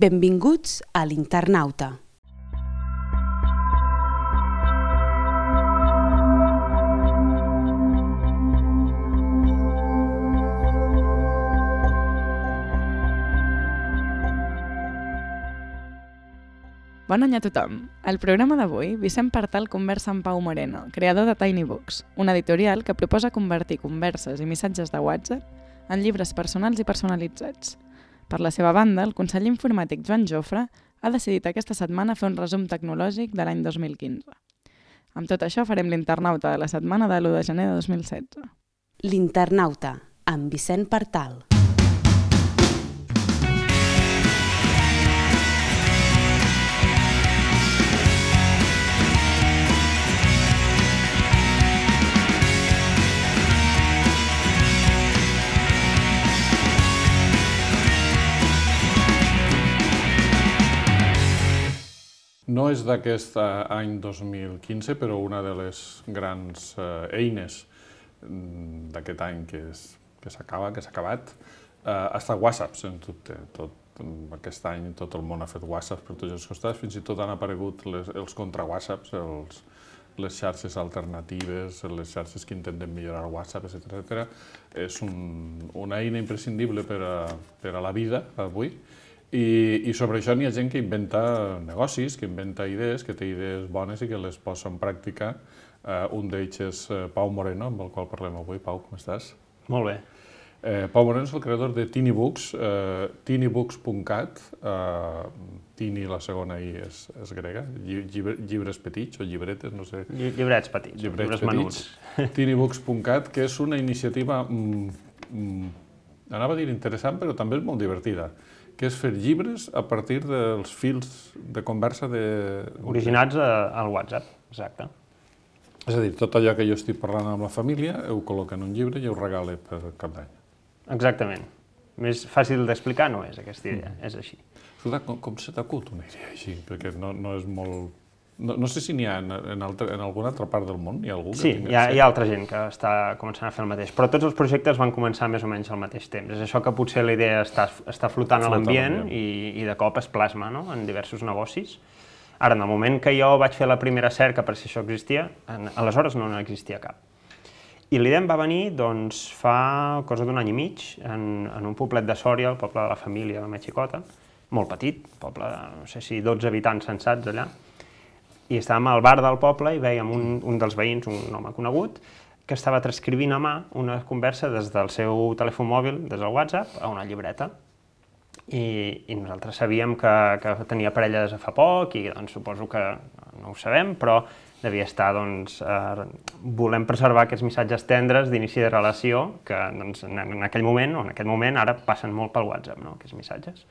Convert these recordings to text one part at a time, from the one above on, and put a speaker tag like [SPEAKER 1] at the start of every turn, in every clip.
[SPEAKER 1] Benvinguts a l'Internauta.
[SPEAKER 2] Bon any a tothom! Al programa d'avui, Vicent Partal conversa amb Pau Moreno, creador de Tiny Books, una editorial que proposa convertir converses i missatges de WhatsApp en llibres personals i personalitzats. Per la seva banda, el conseller informàtic Joan Jofre ha decidit aquesta setmana fer un resum tecnològic de l'any 2015. Amb tot això farem l'Internauta de la setmana de l'1 de gener de 2016.
[SPEAKER 1] L'Internauta, amb Vicent Partal.
[SPEAKER 3] No és d'aquest any 2015, però una de les grans eines d'aquest any que s'ha acabat ha estat WhatsApp, sens dubte. Aquest any tot el món ha fet WhatsApp per tots els costats, fins i tot han aparegut els contra-WhatsApps, les xarxes alternatives, les xarxes que intenten millorar WhatsApp, etc. És una eina imprescindible per a la vida avui. I sobre això n'hi ha gent que inventa negocis, que inventa idees, que té idees bones i que les posa en pràctica. Un d'ells és Pau Moreno, amb el qual parlem avui. Pau, com estàs?
[SPEAKER 4] Molt bé.
[SPEAKER 3] Pau Moreno és el creador de Tiny Books, tinybooks.cat. Tiny, la segona I és grega, llibres petits o llibretes, no sé.
[SPEAKER 4] Llibrets petits, llibres menuts.
[SPEAKER 3] Tinybooks.cat, que és una iniciativa, anava a dir interessant, però també és molt divertida, que és fer llibres a partir dels fils de conversa
[SPEAKER 4] originats al WhatsApp, exacte.
[SPEAKER 3] És a dir, tot allò que jo estic parlant amb la família, ho col·loca en un llibre i ho regala per Cap d'Any.
[SPEAKER 4] Exactament. Més fàcil d'explicar no és aquesta idea, és així.
[SPEAKER 3] Escolta, com se t'acut una idea així? Perquè no és molt... No sé si n'hi ha en alguna altra part del món, hi ha algú que
[SPEAKER 4] tingui... Sí, hi ha altra gent que està començant a fer el mateix, però tots els projectes van començar més o menys al mateix temps. És això que potser la idea està flotant a l'ambient i de cop es plasma en diversos negocis. Ara, en el moment que jo vaig fer la primera cerca per si això existia, aleshores no n'existia cap. I l'idea em va venir doncs, fa cosa d'un any i mig, en un poblet de Sòria, el poble de la família de la meva xicota, molt petit, poble de, no sé si 12 habitants censats allà, i estàvem al bar del poble i vèiem un dels veïns, un home conegut, que estava transcrivint a mà una conversa des del seu telèfon mòbil, des del WhatsApp, a una llibreta. I nosaltres sabíem que tenia parella des de fa poc i doncs, suposo que no ho sabem, però devia estar volem preservar aquests missatges tendres d'inici de relació que doncs, en aquell moment, o en aquest moment, ara passen molt pel WhatsApp, aquests missatges.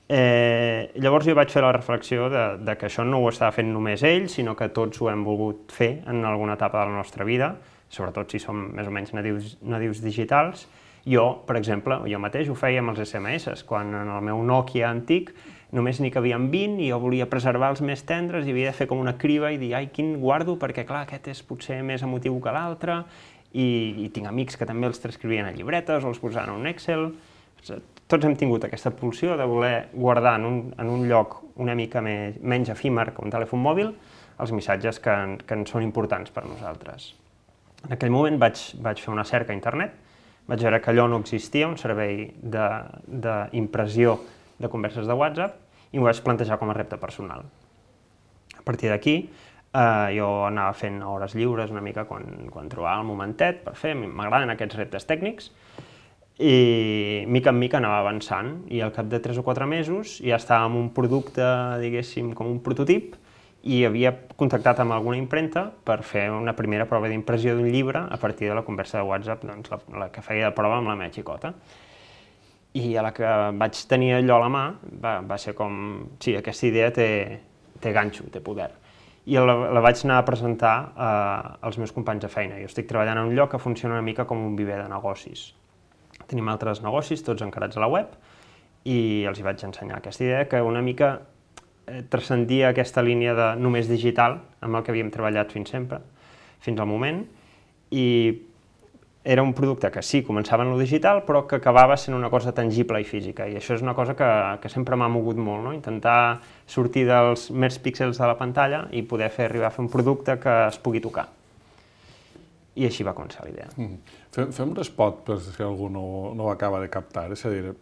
[SPEAKER 4] Llavors jo vaig fer la reflexió de que això no ho estava fent només ell, sinó que tots ho hem volgut fer en alguna etapa de la nostra vida, sobretot si som més o menys nadius digitals. Jo, per exemple, jo mateix ho feia amb els SMS, quan en el meu Nokia antic només n'hi cabien 20 i jo volia preservar els més tendres i havia de fer com una criba i dir, ai, quin guardo, perquè clar, aquest és potser més emotiu que l'altre, i tinc amics que també els transcrivien a llibretes o els posaven en un Excel. Tots hem tingut aquesta pulsió de voler guardar en un lloc una mica menys efímer que un telèfon mòbil els missatges que ens són importants per nosaltres. En aquell moment vaig fer una cerca a internet, vaig veure que allò no existia, un servei d'impressió de converses de WhatsApp, i m'ho vaig plantejar com a repte personal. A partir d'aquí, jo anava fent hores lliures una mica quan trobava el momentet per fer, m'agraden aquests reptes tècnics, i mica en mica anava avançant i al cap de 3 o 4 mesos ja estava amb un producte, diguéssim, com un prototip i havia contactat amb alguna impremta per fer una primera prova d'impressió d'un llibre a partir de la conversa de WhatsApp, doncs la que feia de prova amb la meva xicota. I a la que vaig tenir allò a la mà va ser com, sí, aquesta idea té ganxo, té poder. I la vaig anar a presentar als meus companys de feina. Jo estic treballant en un lloc que funciona una mica com un viver de negocis. Tenim altres negocis, tots encarats a la web, i els hi vaig ensenyar aquesta idea que una mica transcendia aquesta línia de només digital amb el que havíem treballat fins al moment, i era un producte que sí, començava en lo digital, però que acabava sent una cosa tangible i física, i això és una cosa que sempre m'ha mogut molt, no? Intentar sortir dels mers píxels de la pantalla i poder arribar a fer un producte que es pugui tocar. I així va començar la idea.
[SPEAKER 3] Fem un spot per si algú no ho acaba de captar. És a dir,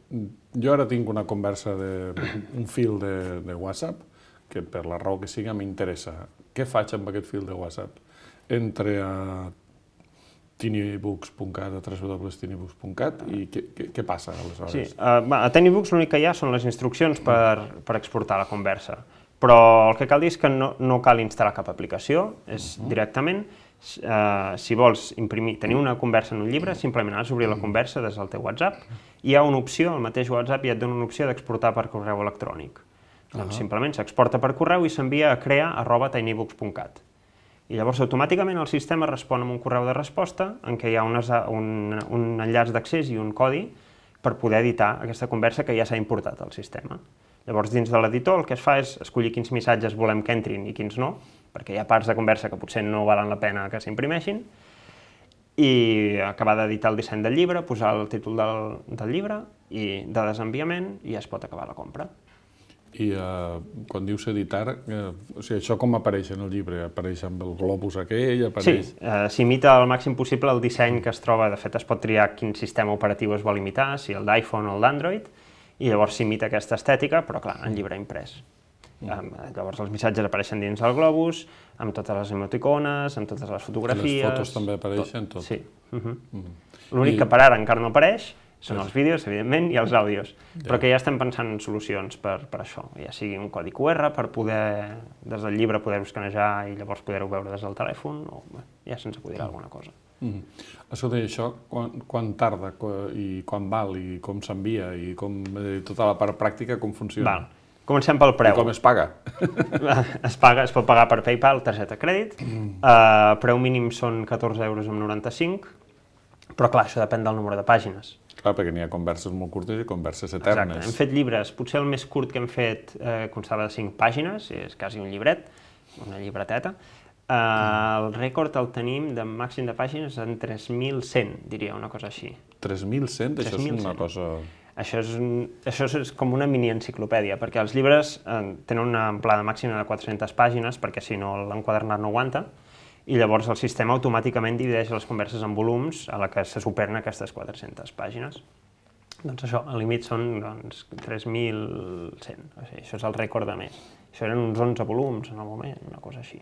[SPEAKER 3] jo ara tinc una conversa un fil de WhatsApp que per la raó que siga m'interessa. Què faig amb aquest fil de WhatsApp? Entre a tinybooks.cat, a www.tinybooks.cat, i què passa aleshores?
[SPEAKER 4] Sí, a Tinybooks l'únic que hi ha són les instruccions per exportar la conversa, però el que cal dir és que no cal instal·lar cap aplicació, és directament, si vols tenir una conversa en un llibre, simplement has d'obrir la conversa des del teu WhatsApp, i hi ha una opció, el mateix WhatsApp ja et dona una opció d'exportar per correu electrònic. Doncs simplement s'exporta per correu i s'envia a crear@tinybooks.cat. I llavors automàticament el sistema respon amb un correu de resposta en què hi ha un enllaç d'accés i un codi per poder editar aquesta conversa que ja s'ha importat al sistema. Llavors dins de l'editor el que es fa és escollir quins missatges volem que entrin i quins no, perquè hi ha parts de conversa que potser no valen la pena que s'imprimeixin, i acabar d'editar el disseny del llibre, posar el títol del llibre i de desenviament i ja es pot acabar la compra.
[SPEAKER 3] I quan dius editar, o sigui, això com apareix en el llibre? Apareix amb el globus aquell?
[SPEAKER 4] Sí, s'imita al màxim possible el disseny que es troba. De fet, es pot triar quin sistema operatiu es vol imitar, si el d'iPhone o el d'Android, i llavors s'imita aquesta estètica, però clar, en llibre imprès. Llavors els missatges apareixen dins el globus, amb totes les emoticones, amb totes les fotografies...
[SPEAKER 3] Les fotos també apareixen, tot?
[SPEAKER 4] Sí. L'únic que per ara encara no apareix són els vídeos, evidentment, i els àudios, però que ja estem pensant en solucions per això, ja sigui un codi QR per poder, des del llibre, poder-ho escanejar i llavors poder-ho veure des del telèfon, o ja se'ns acudirà alguna cosa.
[SPEAKER 3] Escolta, i això quan tarda i quan val i com s'envia i tota la part pràctica com funciona?
[SPEAKER 4] Comencem pel preu.
[SPEAKER 3] I com es paga?
[SPEAKER 4] Es pot pagar per PayPal, targeta crèdit, preu mínim són 14,95 €, però clar, això depèn del número de pàgines.
[SPEAKER 3] Clar, perquè n'hi ha converses molt curtes i converses eternes.
[SPEAKER 4] Exacte, hem fet llibres, potser el més curt que hem fet constava de 5 pàgines, és quasi un llibret, una llibreteta. El rècord el tenim de màxim de pàgines en 3.100, diria, una cosa així.
[SPEAKER 3] 3.100? Això és una cosa...
[SPEAKER 4] Això és com una mini-enciclopèdia, perquè els llibres tenen una amplada màxima de 400 pàgines, perquè si no l'enquadernat no aguanta, i llavors el sistema automàticament divideix les converses en volums a la que se superen aquestes 400 pàgines. Doncs això, el límit són 3.100, o sigui, això és el rècord de més. Això eren uns 11 volums en el moment, una cosa així.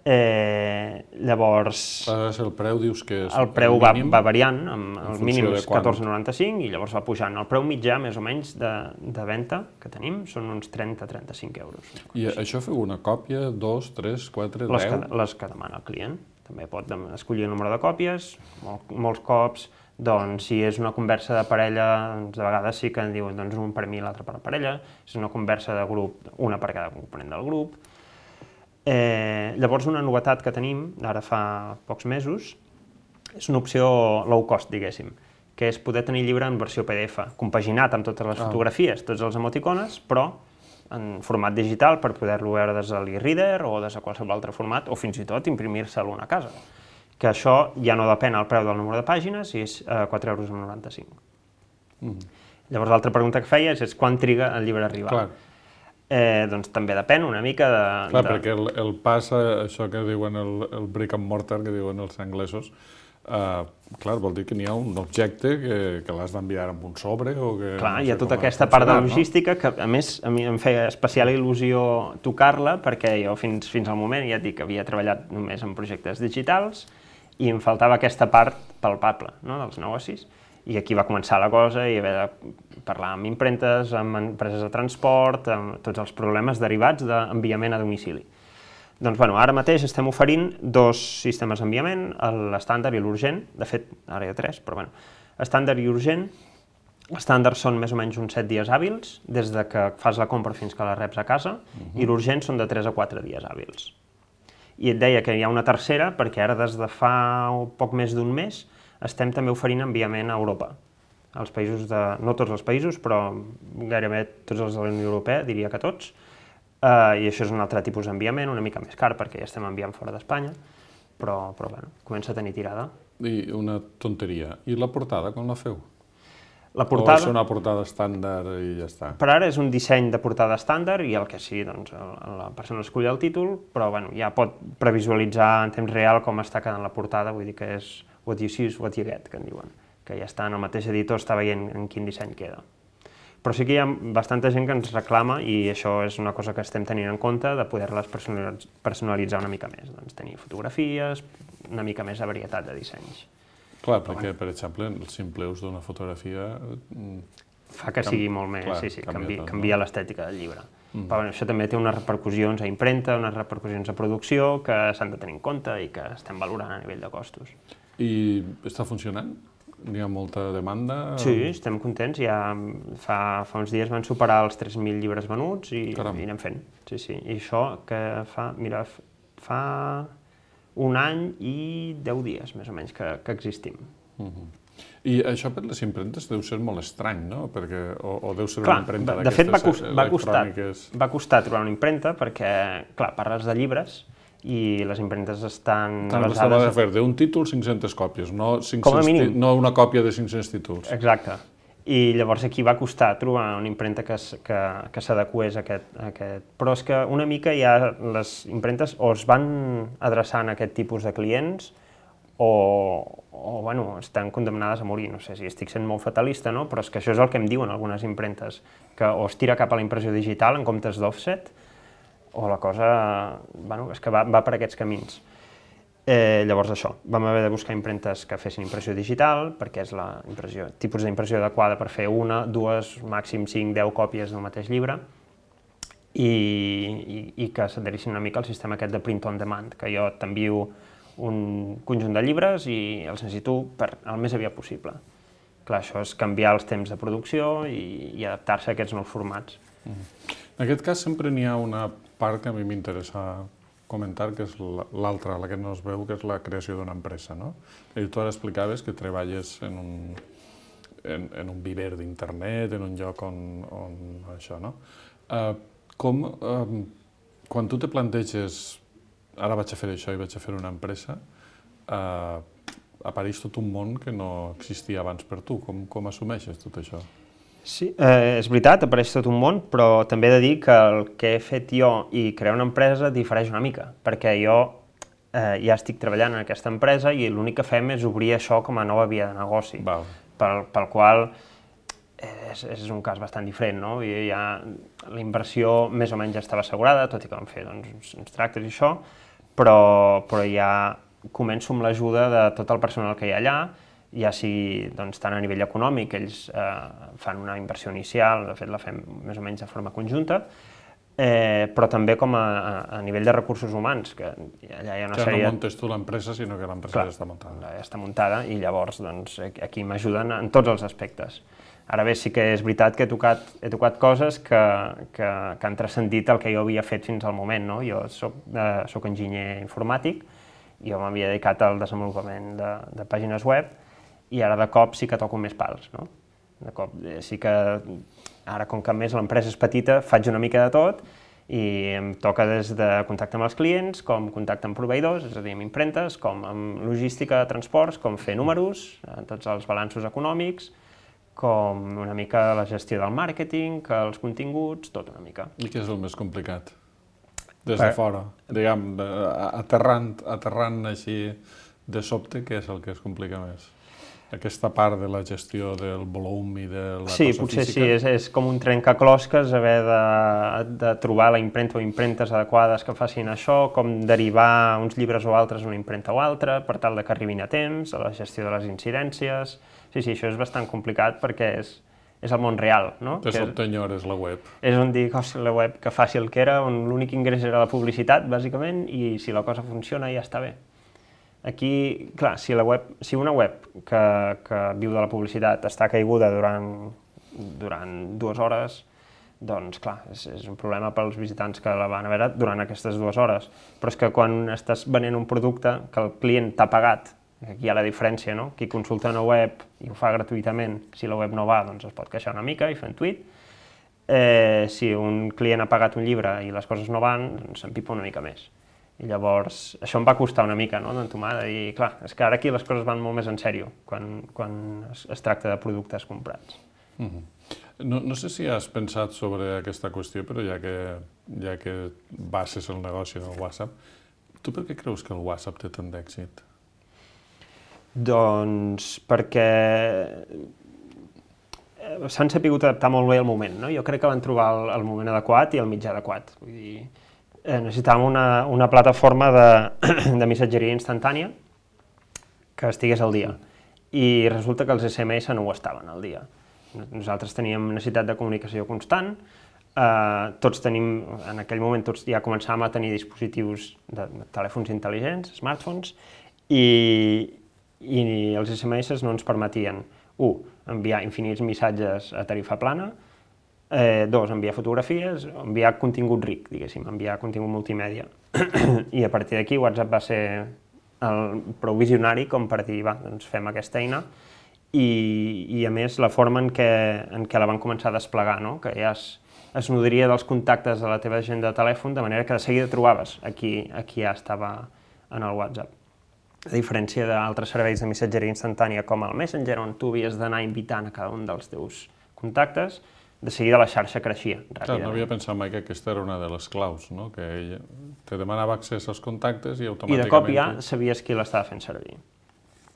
[SPEAKER 4] Llavors...
[SPEAKER 3] El preu dius que és
[SPEAKER 4] el preu va variant, el mínim és 14,95 i llavors va pujant. El preu mitjà, més o menys, de venda que tenim són uns 30-35 euros.
[SPEAKER 3] I això feu una còpia, 2, 3, 4, 10?
[SPEAKER 4] Les que demana el client. També pot escollir el número de còpies, molts cops, doncs si és una conversa de parella, de vegades sí que en diuen un per mi i l'altre per la parella, si és una conversa de grup, una per cada component del grup. Llavors una novetat que tenim, ara fa pocs mesos, és una opció low cost, diguéssim, que és poder tenir llibre en versió PDF, compaginat amb totes les fotografies, tots els emoticones, però en format digital per poder-lo veure des de l'e-reader o des de qualsevol altre format, o fins i tot imprimir-se'l a casa. Que això ja no depèn del preu del número de pàgines i és 4,95 €. Llavors l'altra pregunta que feies és quan triga el llibre a arribar.
[SPEAKER 3] Clar.
[SPEAKER 4] Doncs també depèn una mica de...
[SPEAKER 3] Clar, perquè el pas, això que diuen el brick and mortar, que diuen els anglesos, clar, vol dir que n'hi ha un objecte que l'has d'enviar amb un sobre o que...
[SPEAKER 4] Clar, hi ha tota aquesta part de logística que, a més, a mi em feia especial il·lusió tocar-la perquè jo fins al moment, ja et dic, havia treballat només en projectes digitals i em faltava aquesta part palpable dels negocis. I aquí va començar la cosa i haver de parlar amb impremtes, amb empreses de transport, amb tots els problemes derivats d'enviament a domicili. Doncs ara mateix estem oferint 2 sistemes d'enviament, l'estàndard i l'urgent, de fet ara hi ha 3, però estàndard i urgent. L'estàndard són més o menys uns 7 dies hàbils, des que fas la compra fins que la reps a casa, i l'urgent són de 3 a 4 dies hàbils. I et deia que hi ha una tercera, perquè ara des de fa poc més d'un mes estem també oferint enviament a Europa. Als països no tots els països, però gairebé tots els de la Unió Europea, diria que tots, i això és un altre tipus d'enviament, una mica més car, perquè ja estem enviant fora d'Espanya, però comença a tenir tirada.
[SPEAKER 3] I una tonteria. I la portada, com la feu?
[SPEAKER 4] La
[SPEAKER 3] O
[SPEAKER 4] portada...
[SPEAKER 3] és una portada estàndard i ja està?
[SPEAKER 4] Per ara és un disseny de portada estàndard i el que sí, doncs, la persona escull el títol, però bueno, ja pot previsualitzar en temps real com està quedant la portada, vull dir que és what you see is what you get, que en diuen, que ja està en el mateix editor, està veient en quin disseny queda. Però sí que hi ha bastanta gent que ens reclama, i això és una cosa que estem tenint en compte, de poder-les personalitzar una mica més, doncs tenir fotografies, una mica més de varietat de dissenys.
[SPEAKER 3] Clar, perquè, per exemple, el simple ús d'una fotografia...
[SPEAKER 4] Fa que sigui molt més,
[SPEAKER 3] clar,
[SPEAKER 4] sí,
[SPEAKER 3] canvia
[SPEAKER 4] canvia l'estètica del llibre. Però bueno, això també té unes repercussions a impremta, unes repercussions a producció que s'han de tenir en compte i que estem valorant a nivell de costos.
[SPEAKER 3] I està funcionant? N'hi ha molta demanda?
[SPEAKER 4] Sí, estem contents. Ja fa uns dies van superar els 3.000 llibres venuts i anem fent. Sí, sí. I això que fa, mira, fa un any i 10 dies, més o menys, que existim.
[SPEAKER 3] I això per les impremtes deu ser molt estrany, no? Perquè, o deu ser
[SPEAKER 4] Clar,
[SPEAKER 3] una impremta
[SPEAKER 4] de fet,
[SPEAKER 3] electròniques...
[SPEAKER 4] va costar trobar una impremta perquè, clar, parles de llibres i les impremtes estan
[SPEAKER 3] basades... S'ha de fer d'un títol 500 còpies, no,
[SPEAKER 4] com a mínim.
[SPEAKER 3] No una còpia de 500 títols.
[SPEAKER 4] Exacte. I llavors aquí va costar trobar una impremta que s'adequés a aquest... Però és que una mica ja les impremtes o es van adreçant a aquest tipus de clients o bueno, estan condemnades a morir. No sé si estic sent molt fatalista, no? Però és que això és el que em diuen algunes impremtes, que o es tira cap a la impressió digital en comptes d'offset, o la cosa, bueno, és que va per aquests camins. Llavors això, vam haver de buscar impremtes que fessin impressió digital, perquè és el tipus d'impressió adequada per fer una, dues, màxim 5, 10 còpies del mateix llibre, i que s'adherissin una mica al sistema aquest de print on demand, que jo t'envio un conjunt de llibres i els necessito el més aviat possible. Clar, això és canviar els temps de producció i adaptar-se a aquests nous formats.
[SPEAKER 3] En aquest cas sempre n'hi ha una part que a mi m'interessa comentar, que és l'altra, la que no es veu, que és la creació d'una empresa, no? I tu ara explicaves que treballes en un viver d'internet, en un lloc on això, no? Quan tu te planteges ara vaig a fer això i vaig a fer una empresa, apareix tot un món que no existia abans per tu. Com assumeixes tot això?
[SPEAKER 4] Sí, és veritat, apareix tot un món, però també he de dir que el que he fet jo i crear una empresa difereix una mica, perquè jo ja estic treballant en aquesta empresa i l'únic que fem és obrir això com a nova via de negoci, pel qual és un cas bastant diferent, no? La inversió més o menys ja estava assegurada, tot i que vam fer uns tractes i això, però ja començo amb l'ajuda de tot el personal que hi ha allà, ja sigui tant a nivell econòmic, ells fan una inversió inicial, de fet la fem més o menys de forma conjunta, però també com a nivell de recursos humans, que allà hi ha una sèrie...
[SPEAKER 3] No muntes tu l'empresa, sinó que l'empresa ja està muntada.
[SPEAKER 4] Ja està muntada i llavors aquí m'ajuden en tots els aspectes. Ara bé, sí que és veritat que he tocat coses que han transcendit el que jo havia fet fins al moment, no? Jo soc enginyer informàtic, jo m'havia dedicat al desenvolupament de pàgines web i ara de cop sí que toco més pals, no? De cop sí que ara, com que més l'empresa és petita, faig una mica de tot i em toca des de contacte amb els clients, com contacte amb proveïdors, és a dir, amb impremtes, com amb logística de transports, com fer números, tots els balanços econòmics, com una mica la gestió del màrqueting, els continguts, tot una mica.
[SPEAKER 3] I què és el més complicat? Des de fora, diguem, aterrant així de sobte, què és el que es complica més? Aquesta part de la gestió del volum i de la cosa física? Sí,
[SPEAKER 4] potser sí, és com un trencaclosques haver de trobar la impremta o impremtes adequades que facin això, com derivar uns llibres o altres a una impremta o altra, per tal que arribin a temps, a la gestió de les incidències... Sí, això és bastant complicat perquè és el món real, no?
[SPEAKER 3] De sobte enyores la web. És
[SPEAKER 4] on dic, la web que faci el que era, on l'únic ingrés era la publicitat, bàsicament, i si la cosa funciona ja està bé. Aquí, clar, si una web que viu de la publicitat està caiguda durant 2 hores, doncs, clar, és un problema pels visitants que la van a veure durant aquestes 2 hores. Però és que quan estàs venent un producte que el client t'ha pagat, aquí hi ha la diferència, no? Qui consulta una web i ho fa gratuïtament, si la web no va, doncs es pot queixar una mica i fer un tuit. Si un client ha pagat un llibre i les coses no van, doncs s'empipa una mica més. I llavors això em va costar una mica, no?, d'entomar, de dir, clar, és que ara aquí les coses van molt més en sèrio quan es tracta de productes comprats.
[SPEAKER 3] No sé si has pensat sobre aquesta qüestió, però ja que bases el negoci en el WhatsApp, tu per què creus que el WhatsApp té tant d'èxit?
[SPEAKER 4] Doncs perquè s'han sabut adaptar molt bé al moment, no? Jo crec que van trobar el moment adequat i el mitjà adequat. Vull dir, necessitàvem una plataforma de missatgeria instantània que estigués al dia. I resulta que els SMS no ho estaven al dia. Nosaltres teníem necessitat de comunicació constant, tots tenim, en aquell moment tots ja començàvem a tenir dispositius de telèfons intel·ligents, smartphones, i els SMS no ens permetien, enviar infinits missatges a tarifa plana, enviar fotografies, enviar contingut ric, diguéssim, enviar contingut multimèdia. I a partir d'aquí WhatsApp va ser prou visionari com per dir, doncs fem aquesta eina, i a més la forma en què la van començar a desplegar, no?, que ja es nodria dels contactes de la teva agenda de telèfon, de manera que de seguida trobaves a qui ja estava en el WhatsApp. A diferència d'altres serveis de missatgeria instantània com el Messenger, on tu havies d'anar invitant a cada un dels teus contactes, de seguida la xarxa creixia ràpidament.
[SPEAKER 3] Clar, no havia pensat mai que aquesta era una de les claus, no?, que ell te demanava accés als contactes i automàticament...
[SPEAKER 4] I de cop ja sabies qui l'estava fent servir.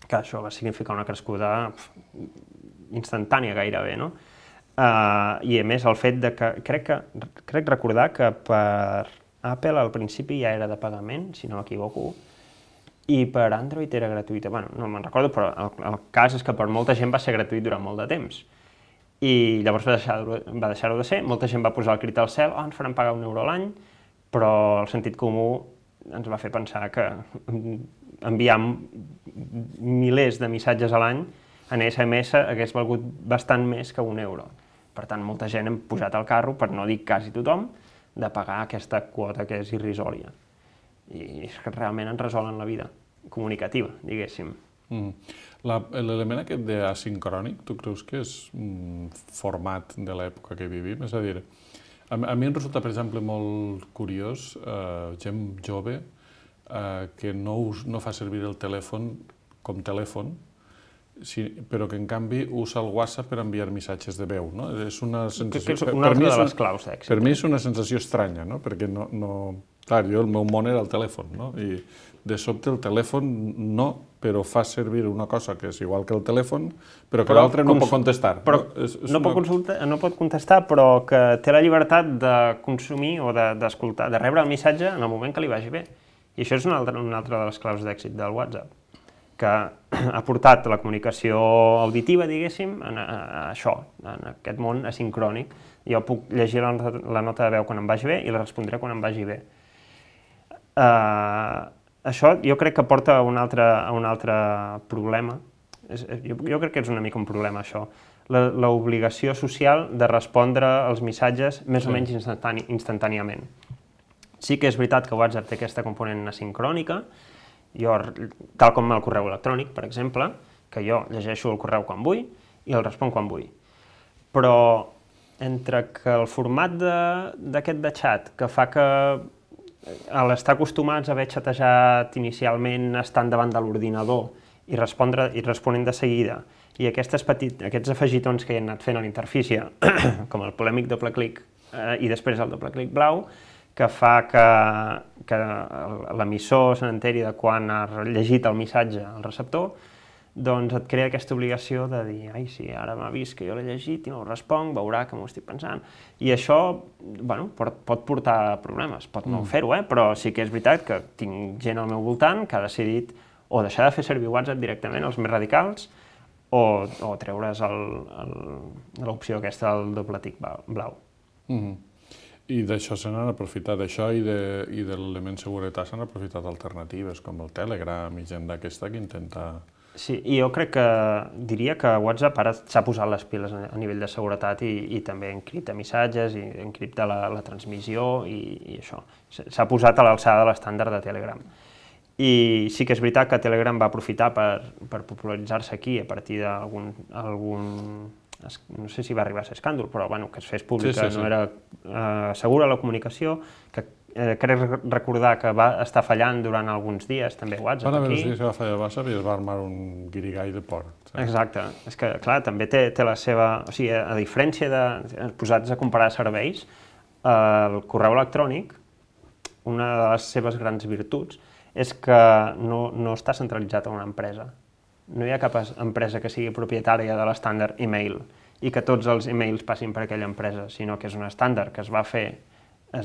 [SPEAKER 4] Que això va significar una crescuda instantània gairebé, no? I a més el fet de que... Crec recordar que per Apple al principi ja era de pagament, si no m'equivoco, i per Android era gratuïta. Bueno, no me'n recordo, però el cas és que per molta gent va ser gratuït durant molt de temps. I llavors va deixar-ho de ser, molta gent va posar el crit al cel, ens faran pagar €1 a l'any, però el sentit comú ens va fer pensar que enviar milers de missatges a l'any en SMS hagués valgut bastant més que €1. Per tant, molta gent hem pujat al carro, per no dir quasi tothom, de pagar aquesta quota que és irrisòria. I és que realment ens resolen la vida comunicativa, diguéssim.
[SPEAKER 3] L'element aquest d'asincrònic, tu creus que és un format de l'època que vivim? És a dir, a mi em resulta, per exemple, molt curiós gent jove que no fa servir el telèfon com telèfon, però que en canvi usa el WhatsApp per enviar missatges de veu, no? És una sensació...
[SPEAKER 4] És una altra de les claus d'èxit.
[SPEAKER 3] Per mi és una sensació estranya, no? Perquè clar, jo el meu món era el telèfon, no? I de sobte el telèfon no, però fa servir una cosa que és igual que el telèfon, però que l'altre no pot contestar.
[SPEAKER 4] No pot contestar, però que té la llibertat de consumir o d'escoltar, de rebre el missatge en el moment que li vagi bé. I això és una altra de les claus d'èxit del WhatsApp, que ha portat la comunicació auditiva, diguéssim, a això, en aquest món asincrònic. Jo puc llegir la nota de veu quan em vagi bé i la respondré quan em vagi bé. Això jo crec que porta a un altre problema. Jo crec que és una mica un problema, això. L'obligació social de respondre als missatges més o menys instantàniament. Sí que és veritat que WhatsApp té aquesta component asincrònica, tal com el correu electrònic, per exemple, que jo llegeixo el correu quan vull i el responc quan vull. Però entre que el format d'aquest de xat, que fa que a l'estar acostumats a haver xatejat inicialment estant davant de l'ordinador i responent de seguida, i aquests afegitons que hi han anat fent a l'interfície, com el polèmic doble clic i després el doble clic blau, que fa que l'emissor se n'enteri de quan ha llegit el missatge al receptor, doncs et crea aquesta obligació de dir ai, sí, ara m'ha vist que jo l'he llegit i no ho responc, veurà que m'ho estic pensant. I això, pot portar problemes, pot no fer-ho, però sí que és veritat que tinc gent al meu voltant que ha decidit o deixar de fer servir WhatsApp directament, els més radicals, o treure's l'opció aquesta del doble tic blau.
[SPEAKER 3] I d'això se n'han aprofitat, d'això i de l'element seguretat s'han aprofitat alternatives com el Telegram i gent d'aquesta que intenta...
[SPEAKER 4] Sí, i jo diria que WhatsApp ara s'ha posat les piles a nivell de seguretat i també encripta missatges i encripta la transmissió i això. S'ha posat a l'alçada de l'estàndard de Telegram. I sí que és veritat que Telegram va aprofitar per popularitzar-se aquí a partir d'algun... no sé si va arribar a ser escàndol, però que es fes pública, no era segura la comunicació, que crec recordar que va estar fallant durant alguns dies, també WhatsApp
[SPEAKER 3] Van haver
[SPEAKER 4] aquí.
[SPEAKER 3] uns dies que va fallar WhatsApp i es va armar un guirigall de por.
[SPEAKER 4] Exacte. És que, clar, també té la seva... O sigui, a diferència de posats a comparar serveis, el correu electrònic, una de les seves grans virtuts, és que no està centralitzat en una empresa. No hi ha cap empresa que sigui propietària de l'estàndard email i que tots els emails passin per aquella empresa, sinó que és un estàndard que es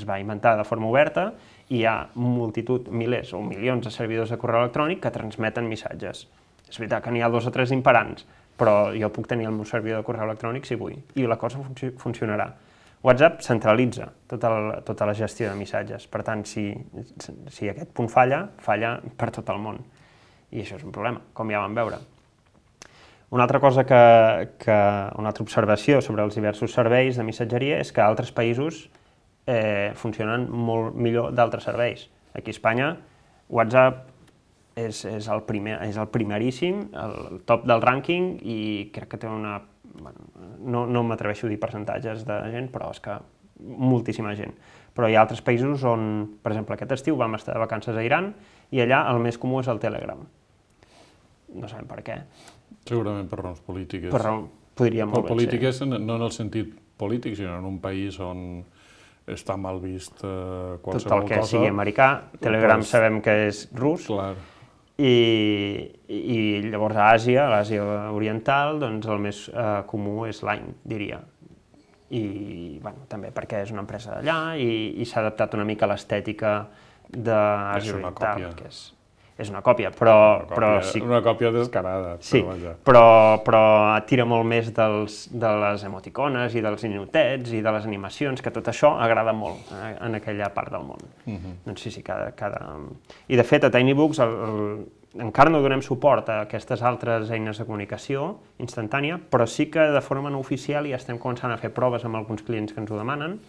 [SPEAKER 4] va inventar de forma oberta i hi ha multitud, milers o milions de servidors de correu electrònic que transmeten missatges. És veritat que n'hi ha 2 o 3 imperants, però jo puc tenir el meu servidor de correu electrònic si vull, i la cosa funcionarà. WhatsApp centralitza tota la gestió de missatges, per tant, si aquest punt falla per tot el món. I això és un problema, com ja vam veure. Una altra cosa una altra observació sobre els diversos serveis de missatgeria és que altres països funcionen molt millor d'altres serveis. Aquí a Espanya, WhatsApp és el primeríssim, el top del rànquing, i crec que té una... Bueno, no m'atreveixo a dir percentatges de gent, però és que moltíssima gent. Però hi ha altres països on, per exemple, aquest estiu vam estar de vacances a Iran i allà el més comú és el Telegram. No sabem per què.
[SPEAKER 3] Segurament per raons polítiques.
[SPEAKER 4] Podria molt bé ser.
[SPEAKER 3] Polítiques no en el sentit polític, sinó en un país on està mal vist qualsevol cosa.
[SPEAKER 4] Tot el que sigui americà, Telegram sabem que és rus,
[SPEAKER 3] clar.
[SPEAKER 4] I llavors a Àsia, a l'Àsia oriental, doncs el més comú és Line, diria. I bueno, també perquè és una empresa d'allà i s'ha adaptat una mica a l'estètica d'Àsia oriental, que és una còpia, però sí.
[SPEAKER 3] Una còpia descarada.
[SPEAKER 4] Sí, però tira molt més de les emoticones i dels ninotets i de les animacions, que tot això agrada molt en aquella part del món. Doncs sí, I de fet, a TinyBooks encara no donem suport a aquestes altres eines de comunicació instantània, però sí que de forma no oficial ja estem començant a fer proves amb alguns clients que ens ho demanen,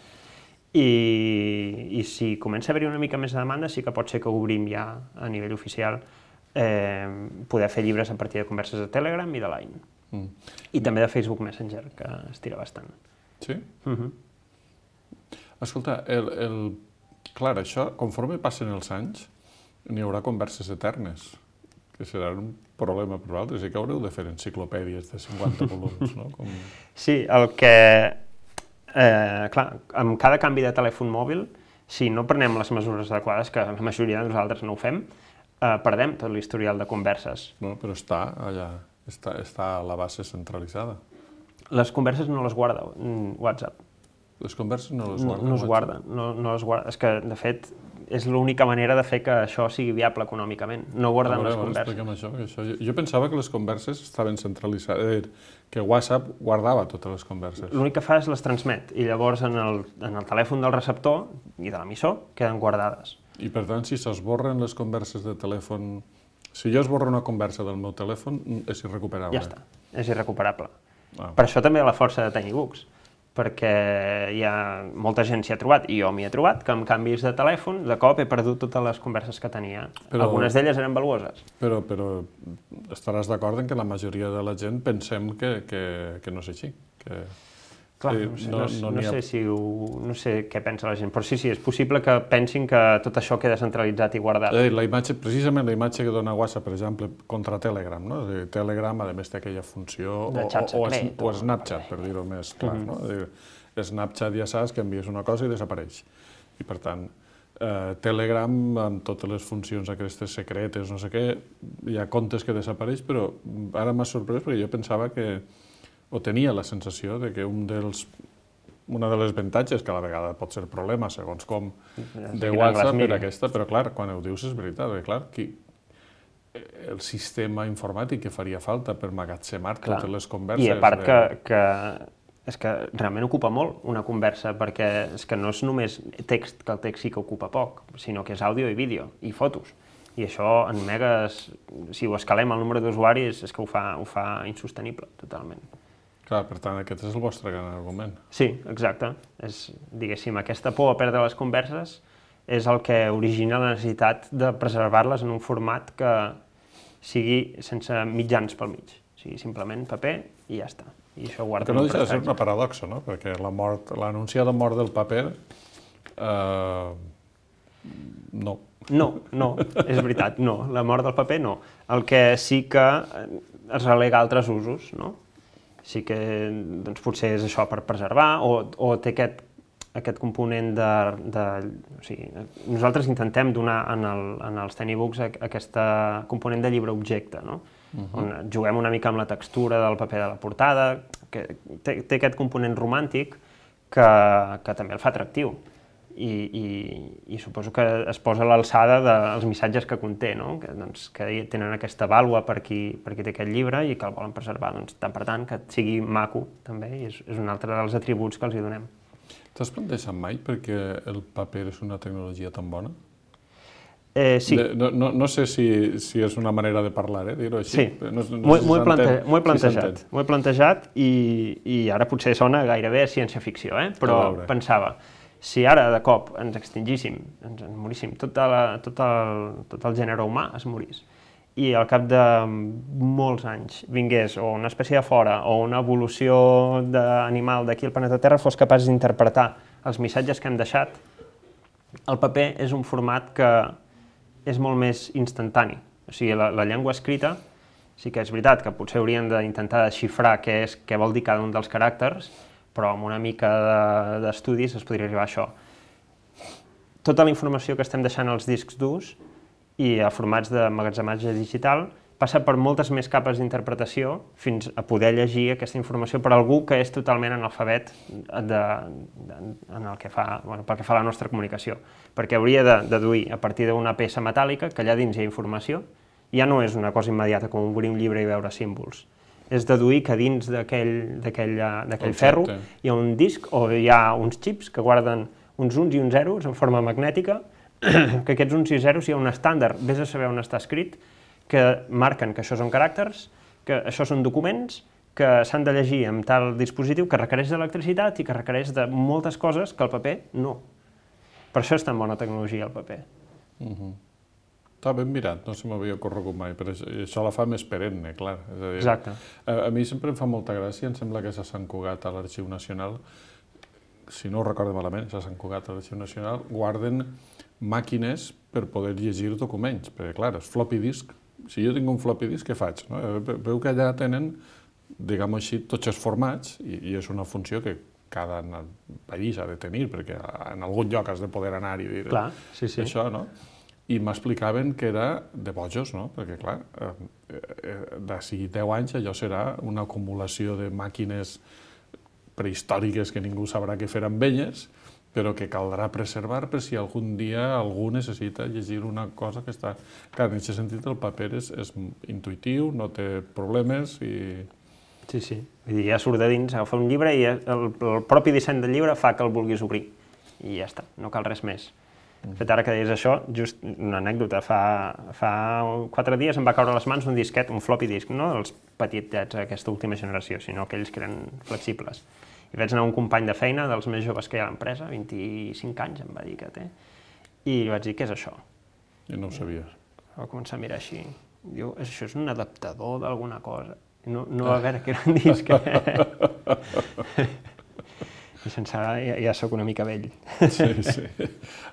[SPEAKER 4] i si comença a haver-hi una mica més de demanda, sí que pot ser que obrim ja a nivell oficial poder fer llibres a partir de converses de Telegram i de Line. I també de Facebook Messenger, que es tira bastant.
[SPEAKER 3] Sí? Escolta, clar, això, conforme passen els anys, n'hi haurà converses eternes, que serà un problema per vosaltres, i que haureu de fer enciclopèdies de 50 volums, no?
[SPEAKER 4] Sí, el que... clar, amb cada canvi de telèfon mòbil, si no prenem les mesures adequades, que la majoria de nosaltres no ho fem, perdem tot l'historial de converses.
[SPEAKER 3] No, però està allà, està a la base centralitzada.
[SPEAKER 4] Les converses no les guarda WhatsApp.
[SPEAKER 3] Les converses no les guarda?
[SPEAKER 4] No es guarden, no les guarda. És que, de fet, és l'única manera de fer que això sigui viable econòmicament. No guarden les converses.
[SPEAKER 3] Explica'm això. Jo pensava que les converses estaven centralitzades, que WhatsApp guardava totes les converses.
[SPEAKER 4] L'únic que fa és les transmet, i llavors en el telèfon del receptor i de l'emissor queden guardades.
[SPEAKER 3] I per tant, si s'esborren les converses de telèfon... Si jo esborro una conversa del meu telèfon, és irrecuperable.
[SPEAKER 4] Ja està, és irrecuperable. Per això també la força de TinyBooks, perquè molta gent s'hi ha trobat, i jo m'hi he trobat, que amb canvis de telèfon, de cop he perdut totes les converses que tenia. Algunes d'elles eren valuoses.
[SPEAKER 3] Però estaràs d'acord en que la majoria de la gent pensem que no és així.
[SPEAKER 4] Clar, no sé què pensa la gent, però sí, és possible que pensin que tot això queda centralitzat i guardat.
[SPEAKER 3] Precisament la imatge que dona WhatsApp, per exemple, contra Telegram, no? Telegram, a més, té aquella funció, o Snapchat, per dir-ho més clar, no? Snapchat ja saps que envies una cosa i desapareix. I, per tant, Telegram, amb totes les funcions aquestes secretes, no sé què, hi ha comptes que desapareix, però ara m'ha sorprès perquè jo pensava que o tenia la sensació de que una de les avantatges, que a la vegada pot ser problema, segons com, de WhatsApp era aquesta, però clar, quan ho dius és veritat, perquè clar, el sistema informàtic que faria falta per magatzemar totes les converses...
[SPEAKER 4] I a part que és que realment ocupa molt una conversa, perquè és que no és només text, que el text sí que ocupa poc, sinó que és àudio i vídeo, i fotos. I això en megas, si ho escalem al nombre d'usuaris, és que ho fa insostenible, totalment.
[SPEAKER 3] Clar, per tant, aquest és el vostre gran argument.
[SPEAKER 4] Sí, exacte. Diguéssim, aquesta por a perdre les converses és el que origina la necessitat de preservar-les en un format que sigui sense mitjans pel mig. O sigui, simplement paper i ja està. I això guarda
[SPEAKER 3] que no deixa de ser una paradoxa, no? Perquè l'anunciada mort del paper No.
[SPEAKER 4] No, és veritat, no. La mort del paper no. El que sí que es relega a altres usos, no? Sí que doncs, potser és això per preservar o té aquest component o sigui, nosaltres intentem donar en els Tiny Books aquest component de llibre-objecte, no? On juguem una mica amb la textura del paper de la portada, que té aquest component romàntic que també el fa atractiu. I suposo que es posa a l'alçada dels missatges que conté, no? Que tenen aquesta vàlua per qui té aquest llibre i que el volen preservar, tant per tant, que sigui maco, també, i és un altre dels atributs que els hi donem.
[SPEAKER 3] T'has plantejat mai perquè el paper és una tecnologia tan bona?
[SPEAKER 4] Sí.
[SPEAKER 3] No sé si és una manera de parlar, dir-ho així.
[SPEAKER 4] Sí, m'ho he plantejat i ara potser sona gairebé ciència-ficció, però pensava, si ara de cop ens extingíssim, ens moríssim, tot el gènere humà es morís, i al cap de molts anys vingués o una espècie de fora o una evolució d'animal d'aquí al planeta Terra fos capaç d'interpretar els missatges que hem deixat, el paper és un format que és molt més instantani. O sigui, la llengua escrita sí que és veritat que potser haurien d'intentar desxifrar què vol dir cada un dels caràcters, però amb una mica d'estudis es podria arribar a això. Tota la informació que estem deixant als discs durs i a formats d'emmagatzematge digital passa per moltes més capes d'interpretació fins a poder llegir aquesta informació per algú que és totalment analfabet pel que fa a la nostra comunicació. Perquè hauria de deduir a partir d'una peça metàl·lica que allà dins hi ha informació, ja no és una cosa immediata com obrir un llibre i veure símbols. És deduir que dins d'aquell ferro hi ha un disc o hi ha uns xips que guarden uns uns i uns zeros en forma magnètica, que aquests uns i zeros hi ha un estàndard, vés a saber on està escrit, que marquen que això són caràcters, que això són documents, que s'han de llegir amb tal dispositiu que requereix d'electricitat i que requereix de moltes coses que el paper no. Per això és tan bona tecnologia el paper.
[SPEAKER 3] Està ben mirat, no se m'havia ocorregut mai, però això la fa més perenne, clar.
[SPEAKER 4] Exacte.
[SPEAKER 3] A mi sempre em fa molta gràcia, em sembla que és a Sant Cugat, a l'Arxiu Nacional, si no ho recordo malament, és a Sant Cugat, a l'Arxiu Nacional, guarden màquines per poder llegir documents, perquè clar, és floppy disk. Si jo tinc un floppy disk, què faig? Veu que allà tenen, diguem-ho així, tots els formats, i és una funció que cada país ha de tenir, perquè en algun lloc has de poder anar i dir això, no? I m'explicaven que era de bojos, no? Perquè, clar, d'ací 10 anys allò serà una acumulació de màquines prehistòriques que ningú sabrà què fer amb elles, però que caldrà preservar per si algun dia algú necessita llegir una cosa que està... Clar, en aquest sentit el paper és intuïtiu, no té problemes i...
[SPEAKER 4] Sí. Vull dir, ja surt de dins, agafa un llibre i el propi disseny del llibre fa que el vulguis obrir. I ja està, no cal res més. De fet, ara que deies això, just una anècdota, fa 4 dies em va caure a les mans un disquet, un floppy disk, no els petitets d'aquesta última generació, sinó aquells que eren flexibles. I vaig anar a un company de feina, dels més joves que hi ha a l'empresa, 25 anys em va dir que té, i li vaig dir, què és això?
[SPEAKER 3] I no ho sabia.
[SPEAKER 4] Va començar a mirar així, diu, això és un adaptador d'alguna cosa. No va veure que era un disc. I sense ara ja soc una mica vell.
[SPEAKER 3] Sí.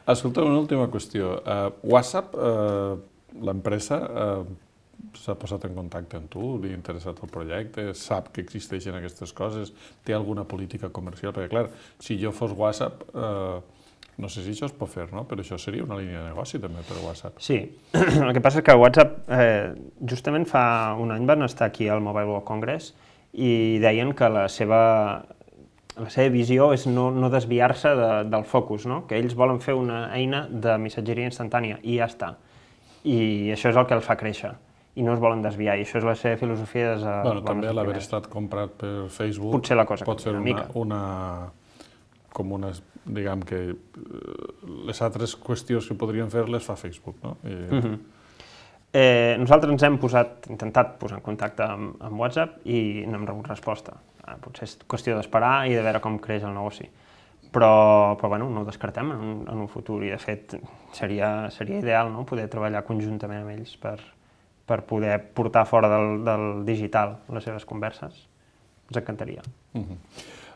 [SPEAKER 3] Escolta, una última qüestió. WhatsApp, l'empresa, s'ha posat en contacte amb tu, li ha interessat el projecte, sap que existeixen aquestes coses, té alguna política comercial? Perquè, clar, si jo fos WhatsApp, no sé si això es pot fer, no? Però això seria una línia de negoci també per WhatsApp.
[SPEAKER 4] Sí, el que passa és que WhatsApp, justament fa un any van estar aquí al Mobile World Congress i deien que la seva visió és no desviar-se del focus, no? Que ells volen fer una eina de missatgeria instantània i ja està. I això és el que el fa créixer. I no es volen desviar, i això és la seva filosofia des de...
[SPEAKER 3] Bueno, també l'haver estat comprat per Facebook
[SPEAKER 4] potser la cosa
[SPEAKER 3] pot ser com una, diguem que les altres qüestions que podrien fer les fa Facebook, no?
[SPEAKER 4] Nosaltres ens hem intentat posar en contacte amb WhatsApp i no hem rebut resposta. Potser és qüestió d'esperar i de veure com creix el negoci. Però bueno, no ho descartem en un futur i de fet seria ideal, no? Poder treballar conjuntament amb ells per poder portar fora del digital les seves converses. Ens encantaria.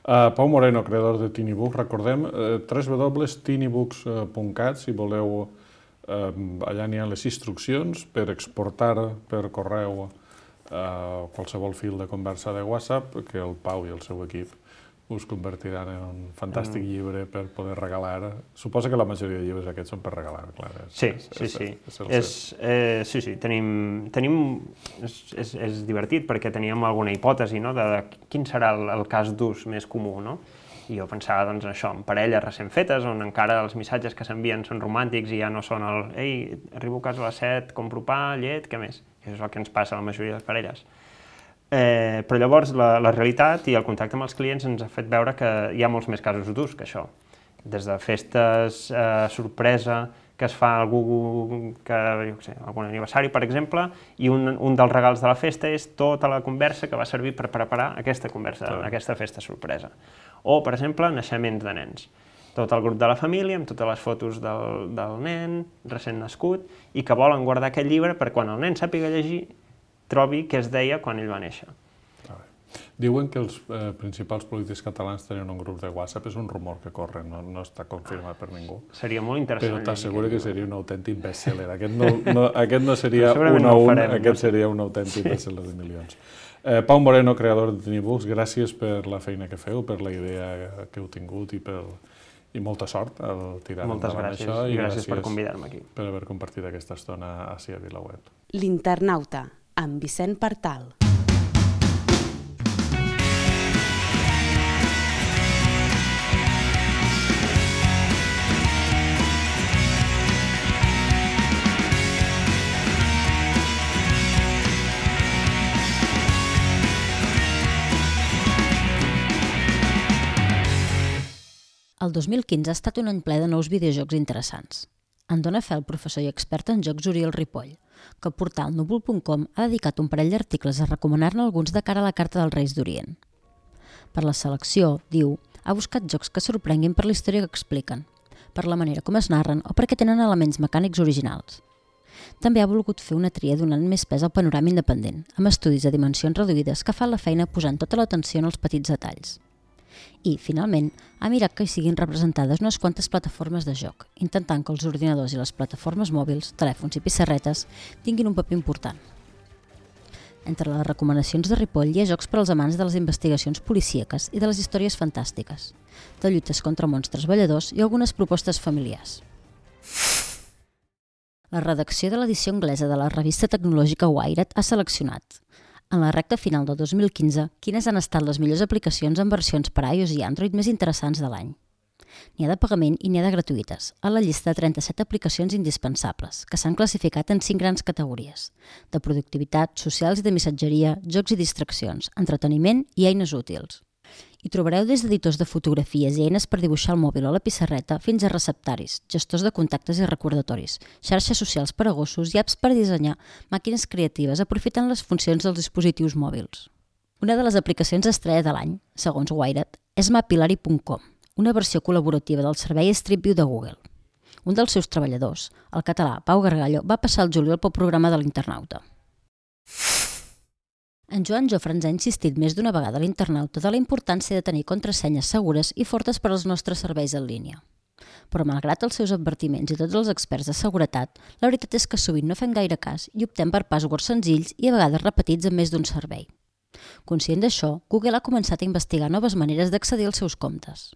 [SPEAKER 3] Pau Moreno, creador de TinyBooks, recordem www.tinybooks.cat si voleu, allà n'hi ha les instruccions per exportar per correu qualsevol fil de conversa de WhatsApp que el Pau i el seu equip us convertiran en un fantàstic llibre per poder regalar. Suposo que la majoria de llibres aquests són per regalar, clar.
[SPEAKER 4] Sí. És divertit perquè teníem alguna hipòtesi de quin serà el cas d'ús més comú, no? I jo pensava, doncs, això, en parelles recent fetes, on encara els missatges que s'envien són romàntics i ja no són el «Ei, arribo a casa a les 7, compro pa, llet, què més?» Això és el que ens passa a la majoria de les parelles. Però llavors la realitat i el contacte amb els clients ens ha fet veure que hi ha molts més casos d'ús que això. Des de festes sorpresa que es fa a algú que, jo què sé, algun aniversari, per exemple, i un dels regals de la festa és tota la conversa que va servir per preparar aquesta conversa, aquesta festa sorpresa. O, per exemple, naixements de nens. Tot el grup de la família, amb totes les fotos del nen recent nascut, i que volen guardar aquest llibre per quan el nen sàpiga llegir, trobi què es deia quan ell va néixer.
[SPEAKER 3] Diuen que els principals polítics catalans tenen un grup de WhatsApp, és un rumor que corre, no està confirmat per ningú.
[SPEAKER 4] Seria molt interessant.
[SPEAKER 3] Però t'asseguro que seria un autèntic best-seller. Aquest no seria un a un, aquest seria un autèntic best-seller de milions. Pau Moreno, creador de TinyBooks, gràcies per la feina que feu, per la idea que heu tingut i molta sort al tirar endavant això.
[SPEAKER 4] I gràcies per convidar-me aquí.
[SPEAKER 3] Per haver compartit aquesta estona a VilaWeb.
[SPEAKER 1] L'Internauta, amb Vicent Partal.
[SPEAKER 5] El 2015 ha estat un any ple de nous videojocs interessants. En dona fe el professor i expert en jocs Oriol Ripoll, que el portal núvol.com ha dedicat un parell d'articles a recomanar-ne alguns de cara a la Carta dels Reis d'Orient. Per la selecció, diu, ha buscat jocs que sorprenguin per la història que expliquen, per la manera com es narren o perquè tenen elements mecànics originals. També ha volgut fer una tria donant més pes al panorama independent, amb estudis a dimensions reduïdes que fan la feina posant tota l'atenció en els petits detalls. I, finalment, ha mirat que hi siguin representades unes quantes plataformes de joc, intentant que els ordinadors i les plataformes mòbils, telèfons i pissarretes tinguin un paper important. Entre les recomanacions de Ripoll hi ha jocs per als amants de les investigacions policíaques i de les històries fantàstiques, de lluites contra monstres balladors i algunes propostes familiars. La redacció de l'edició anglesa de la revista tecnològica Wired ha seleccionat, en la recta final del 2015, quines han estat les millors aplicacions en versions per a iOS i Android més interessants de l'any. N'hi ha de pagament i n'hi ha de gratuïtes, a la llista de 37 aplicacions indispensables, que s'han classificat en 5 grans categories, de productivitat, socials i de missatgeria, jocs i distraccions, entreteniment i eines útils. Hi trobareu des d'editors de fotografies i eines per dibuixar al mòbil o la pissarreta fins a receptaris, gestors de contactes i recordatoris, xarxes socials per a gossos i apps per dissenyar màquines creatives aprofitant les funcions dels dispositius mòbils. Una de les aplicacions estrella de l'any, segons Wired, és Mapillary.com, una versió col·laborativa del servei Street View de Google. Un dels seus treballadors, el català Pau Gargallo, va passar el juliol pel programa de l'Internauta. En Joan Jofre ens ha insistit més d'una vegada a l'Internauta de la importància de tenir contrasenyes segures i fortes per als nostres serveis en línia. Però malgrat els seus advertiments i tots els experts de seguretat, la veritat és que sovint no fem gaire cas i optem per passwords senzills i a vegades repetits en més d'un servei. Conscient d'això, Google ha començat a investigar noves maneres d'accedir als seus comptes.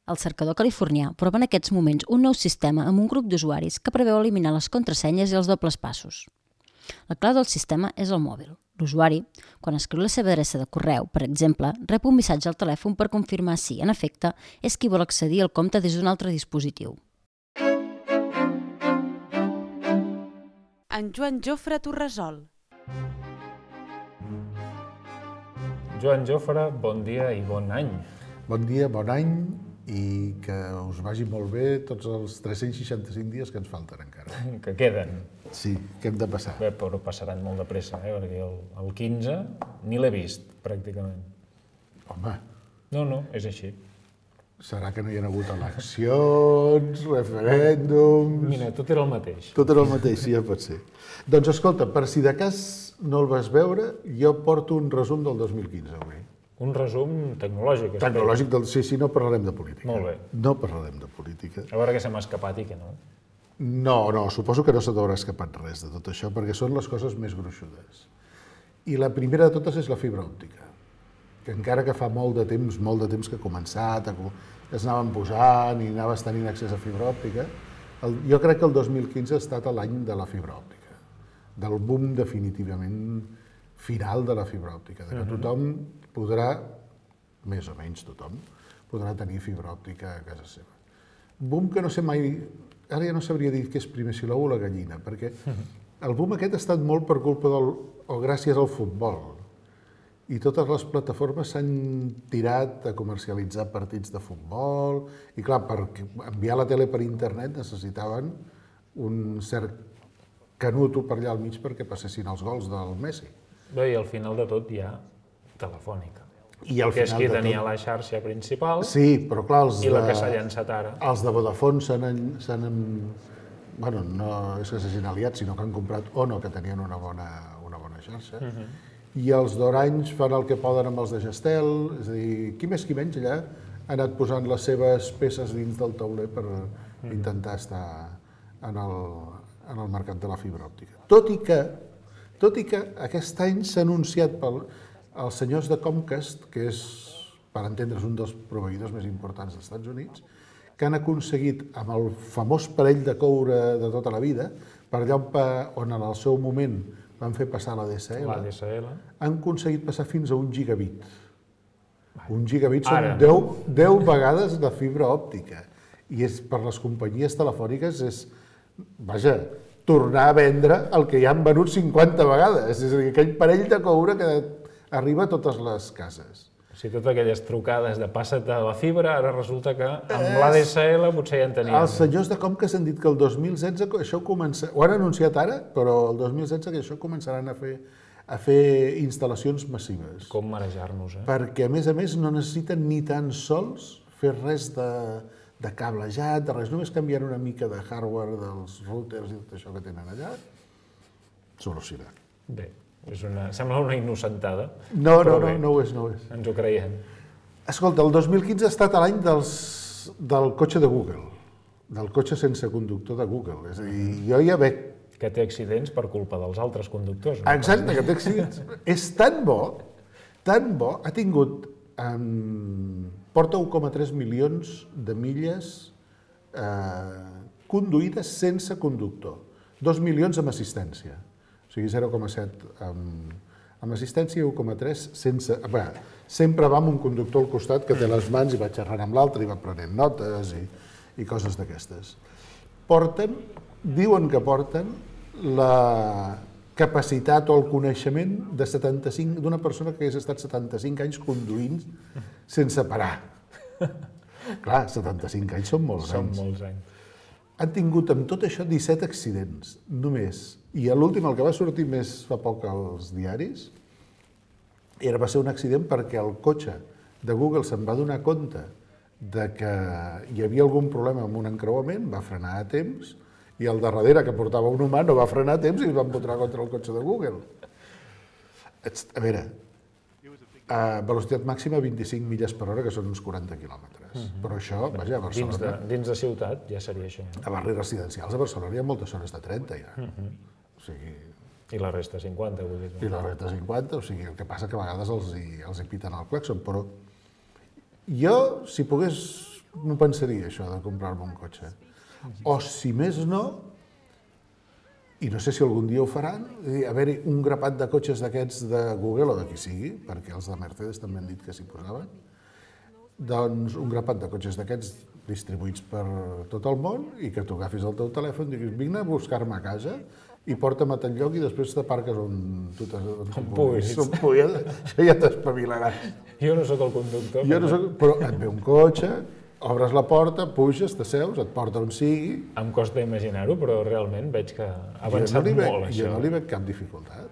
[SPEAKER 5] El cercador californià prova en aquests moments un nou sistema amb un grup d'usuaris que preveu eliminar les contrasenyes i els dobles passos. La clau del sistema és el mòbil. L'usuari, quan escriu la seva adreça de correu, per exemple, rep un missatge al telèfon per confirmar si, en efecte, és qui vol accedir al compte des d'un altre dispositiu.
[SPEAKER 1] En Joan Jofre t'ho resol.
[SPEAKER 6] Joan Jofre, bon dia i bon any.
[SPEAKER 7] Bon dia, bon any i que us vagi molt bé tots els 365 dies que ens falten encara.
[SPEAKER 6] Que queden.
[SPEAKER 7] Sí, que hem de passar.
[SPEAKER 6] Bé, però passaran molt de pressa, perquè el 15 ni l'he vist, pràcticament.
[SPEAKER 7] Home.
[SPEAKER 6] No, és així.
[SPEAKER 7] Serà que no hi ha hagut eleccions, referèndums...
[SPEAKER 6] Mira, tot era el mateix.
[SPEAKER 7] Tot era el mateix, sí, ja pot ser. Doncs escolta, per si de cas no el vas veure, jo porto un resum del 2015 avui.
[SPEAKER 6] Un resum tecnològic.
[SPEAKER 7] Tecnològic del... Sí, no parlarem de política.
[SPEAKER 6] Molt bé.
[SPEAKER 7] No parlarem de política.
[SPEAKER 6] A veure què se m'ha escapat i què no.
[SPEAKER 7] No, suposo que no se t'haurà escapat res de tot això, perquè són les coses més gruixudes. I la primera de totes és la fibra òptica, que encara que fa molt de temps que ha començat, que es anaven posant i anaves tenint accés a fibra òptica, jo crec que el 2015 ha estat l'any de la fibra òptica, del boom definitivament final de la fibra òptica, de que tothom podrà, més o menys tothom, podrà tenir fibra òptica a casa seva. Boom que no sé mai, ara ja no sabria dir què és primer, si l'ou o la gallina, perquè el boom aquest ha estat molt per culpa o gràcies al futbol. I totes les plataformes s'han tirat a comercialitzar partits de futbol, i clar, per enviar la tele per internet necessitaven un cert canuto per allà al mig perquè passessin els gols del Messi.
[SPEAKER 6] Bé, i al final de tot hi ha Telefònica,
[SPEAKER 7] I al
[SPEAKER 6] que és
[SPEAKER 7] final
[SPEAKER 6] qui
[SPEAKER 7] de
[SPEAKER 6] tenia
[SPEAKER 7] tot...
[SPEAKER 6] la xarxa principal
[SPEAKER 7] Sí, però clar,
[SPEAKER 6] i la que s'ha llançat ara.
[SPEAKER 7] Els de Vodafone bueno, no és que s'hagin aliat, sinó que han comprat Ono, que tenien una bona xarxa, i els d'Orange fan el que poden amb els de Gestel, és a dir, qui més qui menys allà ha anat posant les seves peces dins del tauler per intentar estar en el mercat de la fibra òptica. Tot i que aquest any s'ha anunciat els senyors de Comcast, que és, per entendre's, un dels proveïdors més importants dels Estats Units, que han aconseguit, amb el famós parell de coure de tota la vida, per allà on en el seu moment van fer passar la DSL, han aconseguit passar fins a 1 gigabit. 1 gigabit són 10 vegades de fibra òptica. I per les companyies telefòniques és, vaja, tornar a vendre el que ja han venut 50 vegades. És a dir, aquell parell de coure que arriba a totes les cases.
[SPEAKER 6] O sigui, totes aquelles trucades de passa't a la fibra, ara resulta que amb l'ADSL potser ja en teníem.
[SPEAKER 7] Els senyors de Comcast han dit que el 2016 això comença... Ho han anunciat ara, però el 2016 que això començaran a fer instal·lacions massives.
[SPEAKER 6] Com marejar-nos,
[SPEAKER 7] Perquè, a més, no necessiten ni tan sols fer res de cablejat, de res, només canviant una mica de hardware dels routers i tot això que tenen allà, solucionat.
[SPEAKER 6] Bé, sembla una innocentada.
[SPEAKER 7] No ho és.
[SPEAKER 6] Ens ho creiem.
[SPEAKER 7] Escolta, el 2015 ha estat l'any del cotxe de Google, del cotxe sense conductor de Google. És a dir, jo ja veig...
[SPEAKER 6] Que té accidents per culpa dels altres conductors.
[SPEAKER 7] Exacte, que té accidents. És tan bo, ha tingut... porta 1,3 milions de milles conduïdes sense conductor. 2 milions amb assistència. O sigui, 0,7 amb assistència i 1,3 sense... Sempre va amb un conductor al costat que té les mans i va xerrant amb l'altre i va prenent notes i coses d'aquestes. Diuen que porten la capacitat o el coneixement d'una persona que hagués estat 75 anys conduint sense parar. Clar, 75 anys són molts anys.
[SPEAKER 6] Són molts anys.
[SPEAKER 7] Han tingut amb tot això 17 accidents, només. I l'últim, el que va sortir més fa poc als diaris, va ser un accident perquè el cotxe de Google se'n va donar compte de que hi havia algun problema amb un encreuament, va frenar a temps, i el de darrere, que portava un humà, no va frenar a temps i es va empotrar contra el cotxe de Google. A veure, a velocitat màxima 25 milles per hora, que són uns 40 quilòmetres. Però això, vaja, a Barcelona...
[SPEAKER 6] Dins de ciutat ja seria això.
[SPEAKER 7] A barris residencials a Barcelona hi ha moltes zones de 30, ja. O sigui...
[SPEAKER 6] I la resta 50, vull dir.
[SPEAKER 7] I la resta 50, o sigui, el que passa que a vegades els hi piten el clàxon, però jo, si pogués, m'ho pensaria, això, de comprar-me un cotxe. O, si més no, i no sé si algun dia ho faran, haver-hi un grapat de cotxes d'aquests de Google o de qui sigui, perquè els de Mercedes també han dit que s'hi posaven, doncs un grapat de cotxes d'aquests distribuïts per tot el món i que tu agafis el teu telèfon i diguis, vine a buscar-me a casa i porta'm a tal lloc i després t'aparques on tu puguis. Això ja t'espavilaràs.
[SPEAKER 6] Jo no sóc el conductor.
[SPEAKER 7] Però et ve un cotxe, obres la porta, puges, t'asseus, et porta on sigui...
[SPEAKER 6] Em costa imaginar-ho, però realment veig que ha avançat molt, això.
[SPEAKER 7] Jo no li veig cap dificultat.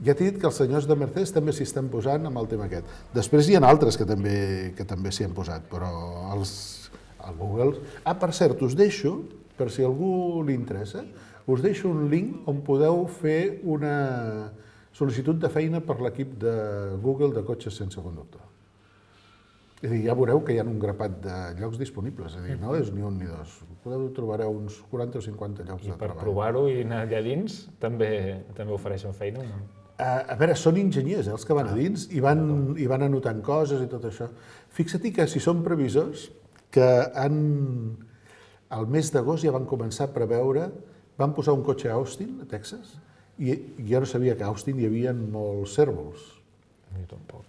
[SPEAKER 7] Ja t'he dit que els senyors de Mercedes també s'hi estan posant amb el tema aquest. Després hi ha altres que també s'hi han posat, però el Google... per cert, us deixo, per si a algú li interessa, us deixo un link on podeu fer una Sol·licitud de feina per l'equip de Google de cotxes sense conductor. És a dir, ja veureu que hi ha un grapat de llocs disponibles, és a dir, no és ni un ni dos. Trobareu uns 40 o 50 llocs de treball.
[SPEAKER 6] I per provar-ho i anar allà dins, també ofereixen feina, no?
[SPEAKER 7] A veure, són enginyers, els que van a dins, i van anotant coses i tot això. Fixa't que si són previsors, que al mes d'agost ja van començar a preveure, van posar un cotxe a Austin, a Texas, i jo no sabia que a Austin hi havia molts cérvols.
[SPEAKER 6] Jo tampoc.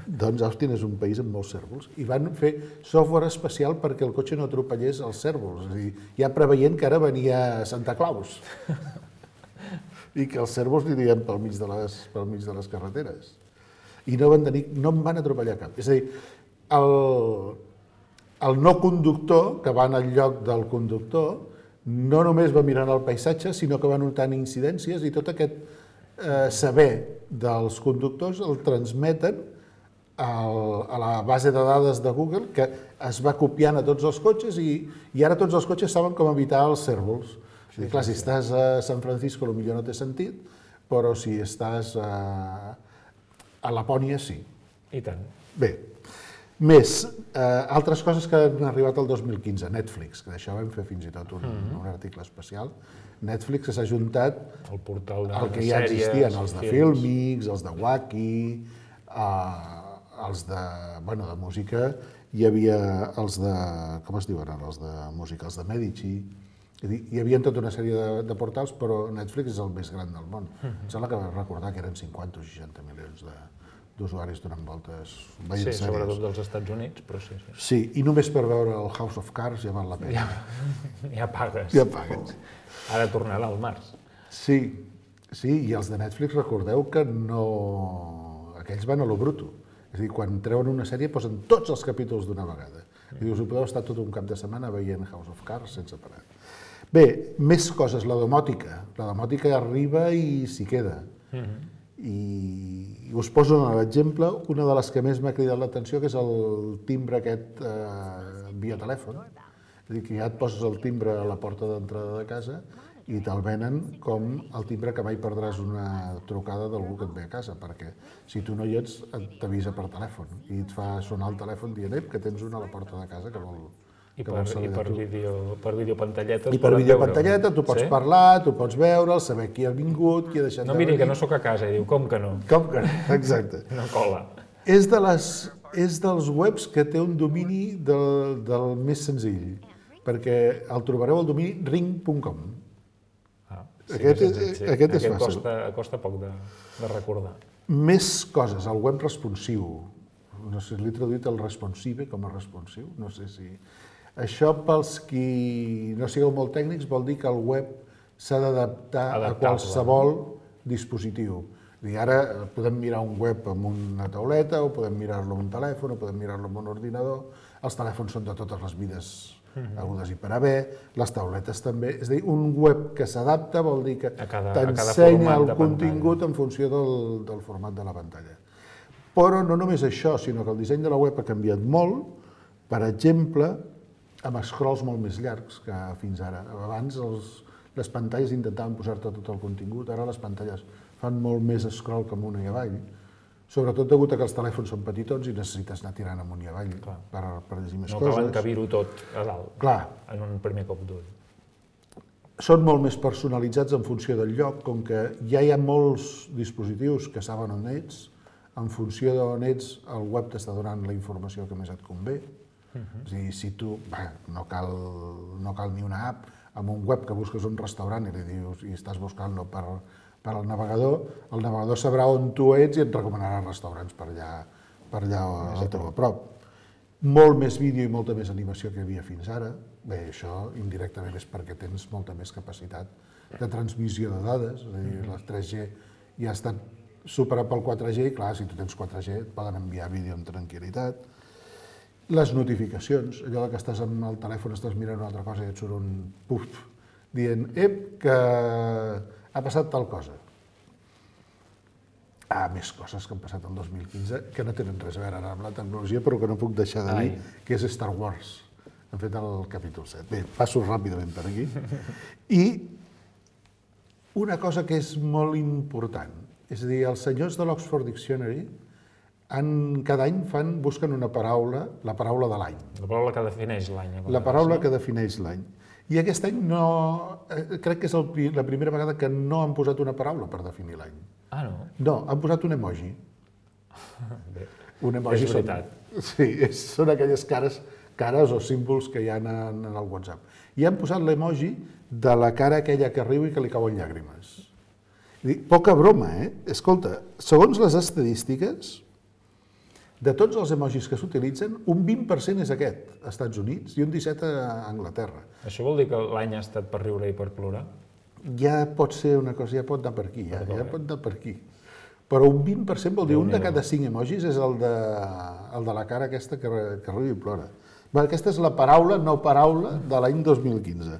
[SPEAKER 7] Doncs Austin és un país amb molts cérvols, i van fer software especial perquè el cotxe no atropellés els cérvols, és a dir, ja preveient que ara venia Santa Claus i que els cérvols anirien pel mig de les carreteres. I no en van atropellar cap. És a dir, el no conductor, que va al lloc del conductor, no només va mirant el paisatge, sinó que va notant incidències i tot aquest saber dels conductors el transmeten a la base de dades de Google, que es va copiant a tots els cotxes i ara tots els cotxes saben com evitar els cérvols. Clar, si estàs a San Francisco potser no té sentit, però si estàs a Lapònia sí.
[SPEAKER 6] I tant.
[SPEAKER 7] Bé, més, altres coses que han arribat el 2015, Netflix, que d'això vam fer fins i tot un article especial. Netflix s'ha ajuntat
[SPEAKER 6] el portal de
[SPEAKER 7] el que ja existien, els de Filmix, els de Wacky, els de música, hi havia els de, com es diuen ara, els de música, els de Medici. Hi havia tota una sèrie de portals, però Netflix és el més gran del món. Em sembla que va recordar que eren 50 o 60 milions d'usuaris donant voltes veient sèries.
[SPEAKER 6] Sí, sobretot dels Estats Units, però sí.
[SPEAKER 7] Sí, i només per veure el House of Cards ja val la pena.
[SPEAKER 6] Ja pagues.
[SPEAKER 7] Ja pagues.
[SPEAKER 6] Ara tornarà al març.
[SPEAKER 7] Sí, i els de Netflix recordeu que no... Aquells van a lo bruto. És a dir, quan treuen una sèrie posen tots els capítols d'una vegada. I us ho podeu estar tot un cap de setmana veient House of Cards sense parar. Bé, més coses, la domòtica. La domòtica arriba i s'hi queda. I us poso un exemple, una de les que més m'ha cridat l'atenció, que és el timbre aquest via telèfon. És a dir, que ja et poses el timbre a la porta d'entrada de casa i te'l venen com el timbre que mai perdràs una trucada d'algú que et ve a casa, perquè si tu no hi ets, t'avisa per telèfon i et fa sonar el telèfon dient que tens una a la porta de casa que vol saber de tu.
[SPEAKER 6] Per videopantalletes.
[SPEAKER 7] I per videopantalleta tu pots parlar, tu pots veure'l, saber qui ha vingut, qui ha deixat de venir.
[SPEAKER 6] No, miri, que no sóc a casa, i diu, com que no?
[SPEAKER 7] Com que no, exacte.
[SPEAKER 6] No cola.
[SPEAKER 7] És dels webs que té un domini del més senzill, perquè el trobareu al domini ring.com. Aquest és fàcil.
[SPEAKER 6] Costa poc de recordar.
[SPEAKER 7] Més coses, el web responsiu. No sé, l'he traduït el responsive com a responsiu, no sé si... Això, pels qui no sigueu molt tècnics, vol dir que el web s'ha d'adaptar a qualsevol dispositiu. Ara podem mirar un web amb una tauleta, o podem mirar-lo amb un telèfon, o podem mirar-lo amb un ordinador. Els telèfons són de totes les mides hagudes i per haver, les tauletes també. És a dir, un web que s'adapta vol dir que t'ensenya el contingut en funció del format de la pantalla. Però no només això, sinó que el disseny de la web ha canviat molt, per exemple, amb scrolls molt més llargs que fins ara. Abans les pantalles intentaven posar-te tot el contingut, ara les pantalles fan molt més scroll que amunt i avall, sobretot degut a que els telèfons són petitons i necessites anar tirant amunt i avall per llegir més coses.
[SPEAKER 6] No cal encabir-ho tot a dalt, en un primer cop d'ull.
[SPEAKER 7] Són molt més personalitzats en funció del lloc, com que ja hi ha molts dispositius que saben on ets, en funció d'on ets, el web t'està donant la informació que més et convé. És a dir, si tu, no cal ni una app, amb un web que busques un restaurant i li dius, i estàs buscant-lo per al navegador, el navegador sabrà on tu ets i et recomanarà restaurants per allà al teu a prop. Molt més vídeo i molta més animació que hi havia fins ara. Bé, això indirectament és perquè tens molta més capacitat de transmissió de dades, és a dir, la 3G ja ha estat superat pel 4G i clar, si tu tens 4G et poden enviar vídeo amb tranquil·litat. Les notificacions, allò que estàs amb el telèfon, estàs mirant una altra cosa i et surt un puf dient, que ha passat tal cosa. Més coses que han passat el 2015 que no tenen res a veure amb la tecnologia, però que no puc deixar de dir, que és Star Wars. Han fet el capítol 7. Bé, passo ràpidament per aquí. I una cosa que és molt important És a dir, els senyors de l'Oxford Dictionary cada any busquen una paraula, la paraula de l'any.
[SPEAKER 6] La paraula que defineix l'any.
[SPEAKER 7] La paraula que defineix l'any. I aquest any crec que és la primera vegada que no han posat una paraula per definir l'any.
[SPEAKER 6] Ah, no?
[SPEAKER 7] No, han posat un emoji.
[SPEAKER 6] Bé,
[SPEAKER 7] Un emoji
[SPEAKER 6] és veritat.
[SPEAKER 7] Sí, són aquelles cares o símbols que hi ha en el WhatsApp. I han posat l'emoji de la cara aquella que riu i que li cauen llàgrimes. Poca broma, eh? Escolta, segons les estadístiques, de tots els emojis que s'utilitzen, un 20% és aquest, als Estats Units, i un 17% a Anglaterra.
[SPEAKER 6] Això vol dir que l'any ha estat per riure i per plorar?
[SPEAKER 7] Ja pot ser una cosa, ja pot anar per aquí, ja pot anar per aquí. Però un 20% vol dir un de cada 5 emojis és el de la cara aquesta que riu i plora. Aquesta és la paraula, no paraula, de l'any 2015.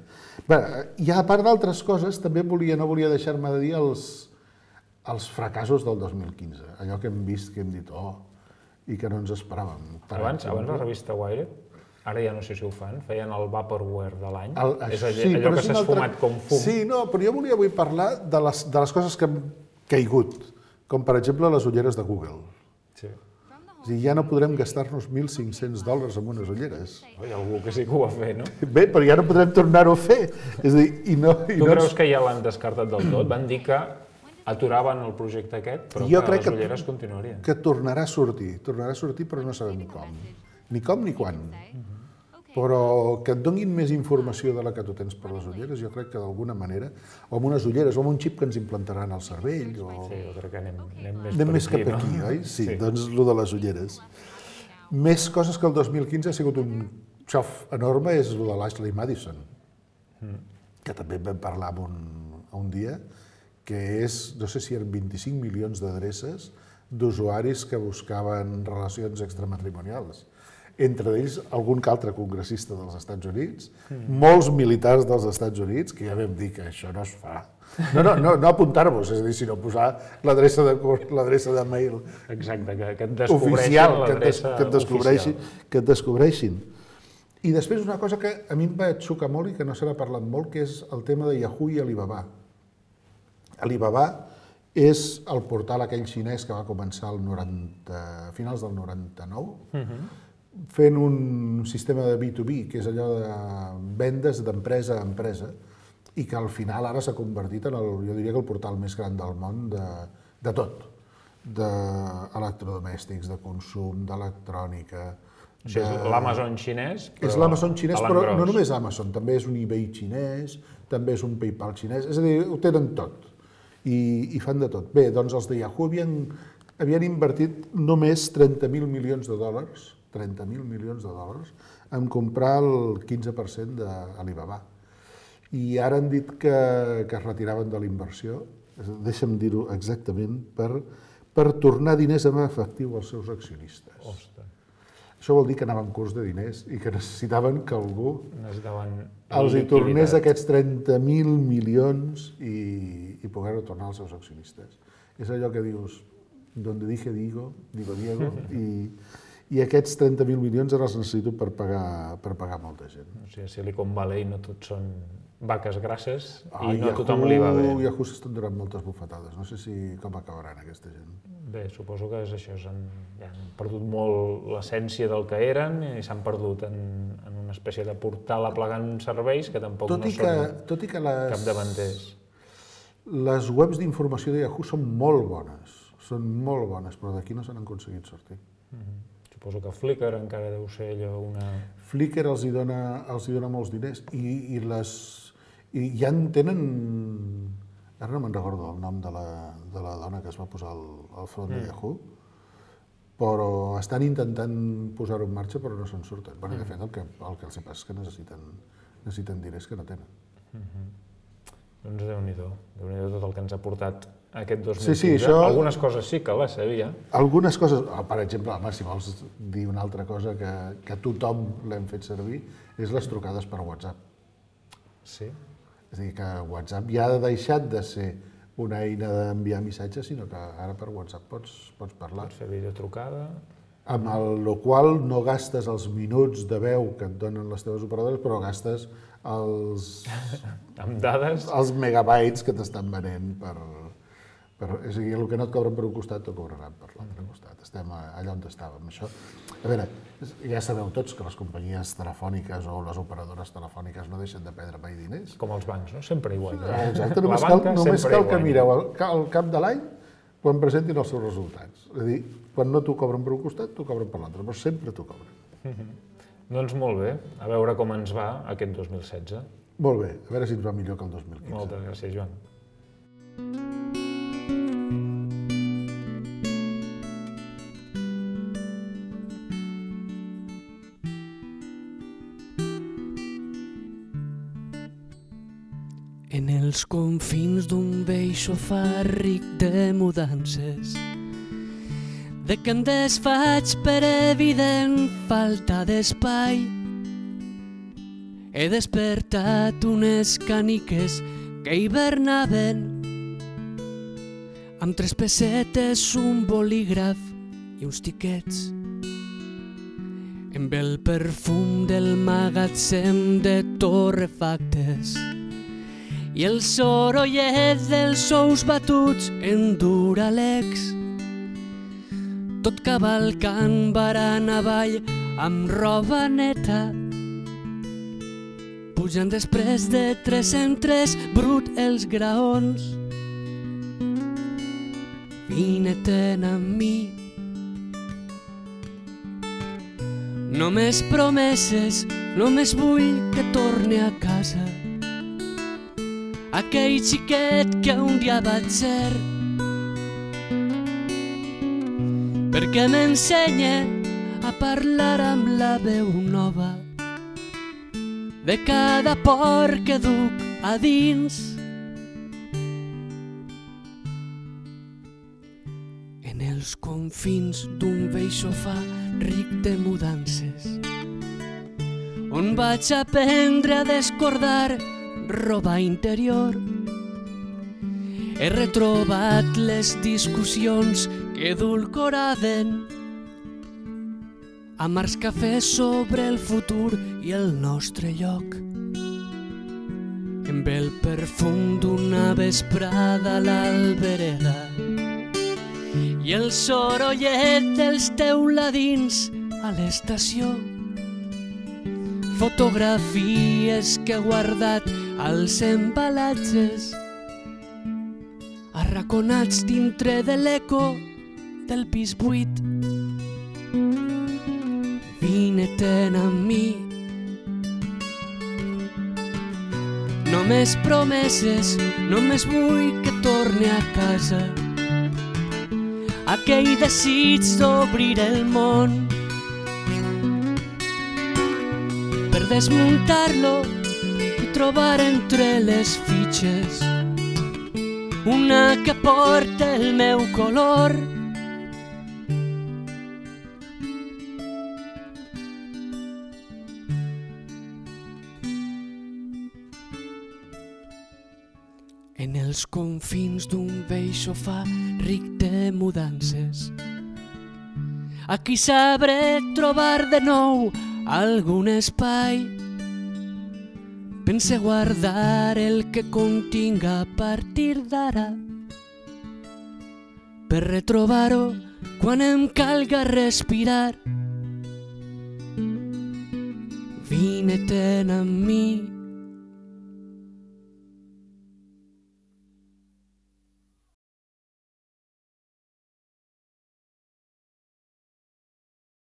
[SPEAKER 7] I a part d'altres coses, també no volia deixar-me de dir els fracassos del 2015. Allò que hem vist, que hem dit, i que no ens esperàvem.
[SPEAKER 6] Abans la revista Wired, ara ja no sé si ho fan, feien el Vaporware de l'any. És allò que s'ha esfumat com fum.
[SPEAKER 7] Sí, no, però jo volia avui parlar de les coses que han caigut, com per exemple les ulleres de Google.
[SPEAKER 6] Sí.
[SPEAKER 7] És a dir, ja no podrem gastar-nos $1.500 en unes ulleres.
[SPEAKER 6] Hi ha algú que sí que ho va fer, no?
[SPEAKER 7] Bé, però ja no podrem tornar-ho a fer. És a dir,
[SPEAKER 6] Tu creus que ja l'han descartat del tot? Van dir que aturaven el projecte aquest, però que les ulleres continuarien.
[SPEAKER 7] Que tornarà a sortir, però no sabem com. Ni com ni quan. Però que et donin més informació de la que tu tens per les ulleres, jo crec que d'alguna manera, o amb unes ulleres, o amb un xip que ens implantaran al cervell,
[SPEAKER 6] Sí, jo crec que anem
[SPEAKER 7] més cap aquí, oi? Sí, doncs el de les ulleres. Més coses que el 2015 ha sigut un xof enorme és el de l'Ashley Madison, que també en vam parlar un dia, que és, no sé si eren 25 milions d'adreces d'usuaris que buscaven relacions extramatrimonials. Entre ells, algun que altre congressista dels Estats Units, molts militars dels Estats Units, que ja vam dir que això no es fa. No apuntar-vos, és a dir, sinó posar l'adreça de mail
[SPEAKER 6] oficial,
[SPEAKER 7] que et descobreixin. I després una cosa que a mi em va xocar molt i que no se n'ha parlat molt, que és el tema de Yahoo i Alibaba. Alibaba és el portal aquell xinès que va començar a finals del 99, fent un sistema de B2B, que és allò de vendes d'empresa a empresa, i que al final ara s'ha convertit en jo diria que el portal més gran del món de tot, d'electrodomèstics, de consum, d'electrònica.
[SPEAKER 6] És l'Amazon xinès,
[SPEAKER 7] És l'Amazon xinès, però no només Amazon, també és un eBay xinès, també és un PayPal xinès, és a dir, ho tenen tot i fan de tot. Bé, doncs els de Yahoo havien invertit només $30.000 milions, en comprar el 15% d'Alibaba. I ara han dit que es retiraven de la inversió, deixa'm dir-ho exactament, per tornar diners en efectiu als seus accionistes.
[SPEAKER 6] Ostres.
[SPEAKER 7] Això vol dir que anaven curts de diners i que necessitaven que algú els hi
[SPEAKER 6] liquiditat.
[SPEAKER 7] tornés aquests 30.000 milions i poder-ho tornar als seus accionistes. És allò que dius, donde dije digo Diego, i aquests 30.000 milions ara els necessito per pagar molta gent.
[SPEAKER 6] O sigui, a Silicon Valley no tot són vaques grasses i no a tothom li va bé.
[SPEAKER 7] Yahoo s'estan donant moltes bufetades, no sé com acabaran aquesta gent.
[SPEAKER 6] Bé, suposo que és això, han perdut molt l'essència del que eren i s'han perdut en una espècie de portal aplegant serveis que tampoc no són capdavanters.
[SPEAKER 7] Les webs d'informació de Yahoo són molt bones, però d'aquí no s'han aconseguit sortir.
[SPEAKER 6] Suposo que Flickr encara deu ser allò una...
[SPEAKER 7] Flickr els hi dona molts diners i ja en tenen... Ara no me'n recordo el nom de la dona que es va posar al front de Yahoo, però estan intentant posar-ho en marxa però no se'n surten. Bé, de fet, el que els passa és que necessiten diners que no tenen.
[SPEAKER 6] Doncs Déu-n'hi-do tot el que ens ha portat aquest 2015.
[SPEAKER 7] Sí, això...
[SPEAKER 6] Algunes coses sí que les sabia.
[SPEAKER 7] Algunes coses, per exemple, si vols dir una altra cosa que tothom l'hem fet servir, és les trucades per WhatsApp.
[SPEAKER 6] Sí?
[SPEAKER 7] És a dir, que WhatsApp ja ha deixat de ser una eina d'enviar missatges, sinó que ara per WhatsApp pots parlar.
[SPEAKER 6] Pots fer videotrucada.
[SPEAKER 7] Amb el qual no gastes els minuts de veu que et donen les teves operadores, però gastes els
[SPEAKER 6] amb dades,
[SPEAKER 7] els megabytes que t'estan venent per És a dir, el que no et cobren per un costat t'ho cobraran per l'altre costat. Estem allà on estàvem. Això, a veure, ja sabeu tots que les companyies telefòniques o les operadores telefòniques no deixen de perdre mai diners.
[SPEAKER 6] Com els bancs, no? Sempre igual.
[SPEAKER 7] Exacte, només cal que mireu al cap de l'any quan presentin els seus resultats. És a dir, quan no t'ho cobren per un costat, t'ho cobren per l'altre, però sempre t'ho cobren.
[SPEAKER 6] Doncs molt bé, a veure com ens va aquest 2016.
[SPEAKER 7] Molt bé, a veure si ens va millor que el 2015.
[SPEAKER 6] Moltes gràcies, Joan.
[SPEAKER 8] En els confins d'un vell sofà ric de mudances, de que em desfaig per evident falta d'espai, he despertat unes caniques que hibernaven amb 3 pessetes, un bolígraf i uns tiquets. Amb el perfum del magatzem de torrefactes i el sorollet dels ous batuts en Duralex, tot cavalcant barana avall amb roba neta, pujant després de 3 en 3 brut els graons. Vine-te'n amb mi. Només promeses, només vull que torni a casa aquell xiquet que un dia vaig ser, perquè m'ensenya a parlar amb la veu nova de cada por que duc a dins. En els confins d'un vell sofà ric de mudances, on vaig aprendre a descordar roba interior, he retrobat les discussions que edulcoraven amargs cafès sobre el futur i el nostre lloc. Amb el perfum d'una vesprada a l'albereda i el sorollet dels teuladins a l'estació, fotografies que he guardat als embalatges, arraconats dintre de l'eco del pis buit. Vine-te'n amb mi. Només promeses, només vull que torni a casa aquell desig d'obrir el món, per desmuntar-lo i trobar entre les fitxes una que porta el meu color. En els confins d'un vell sofà ric de mudances, aquí sabré trobar de nou algun espai. Pense guardar el que continga a partir d'ara, per retrobar-ho quan em calga respirar. Vine-te'n amb mi.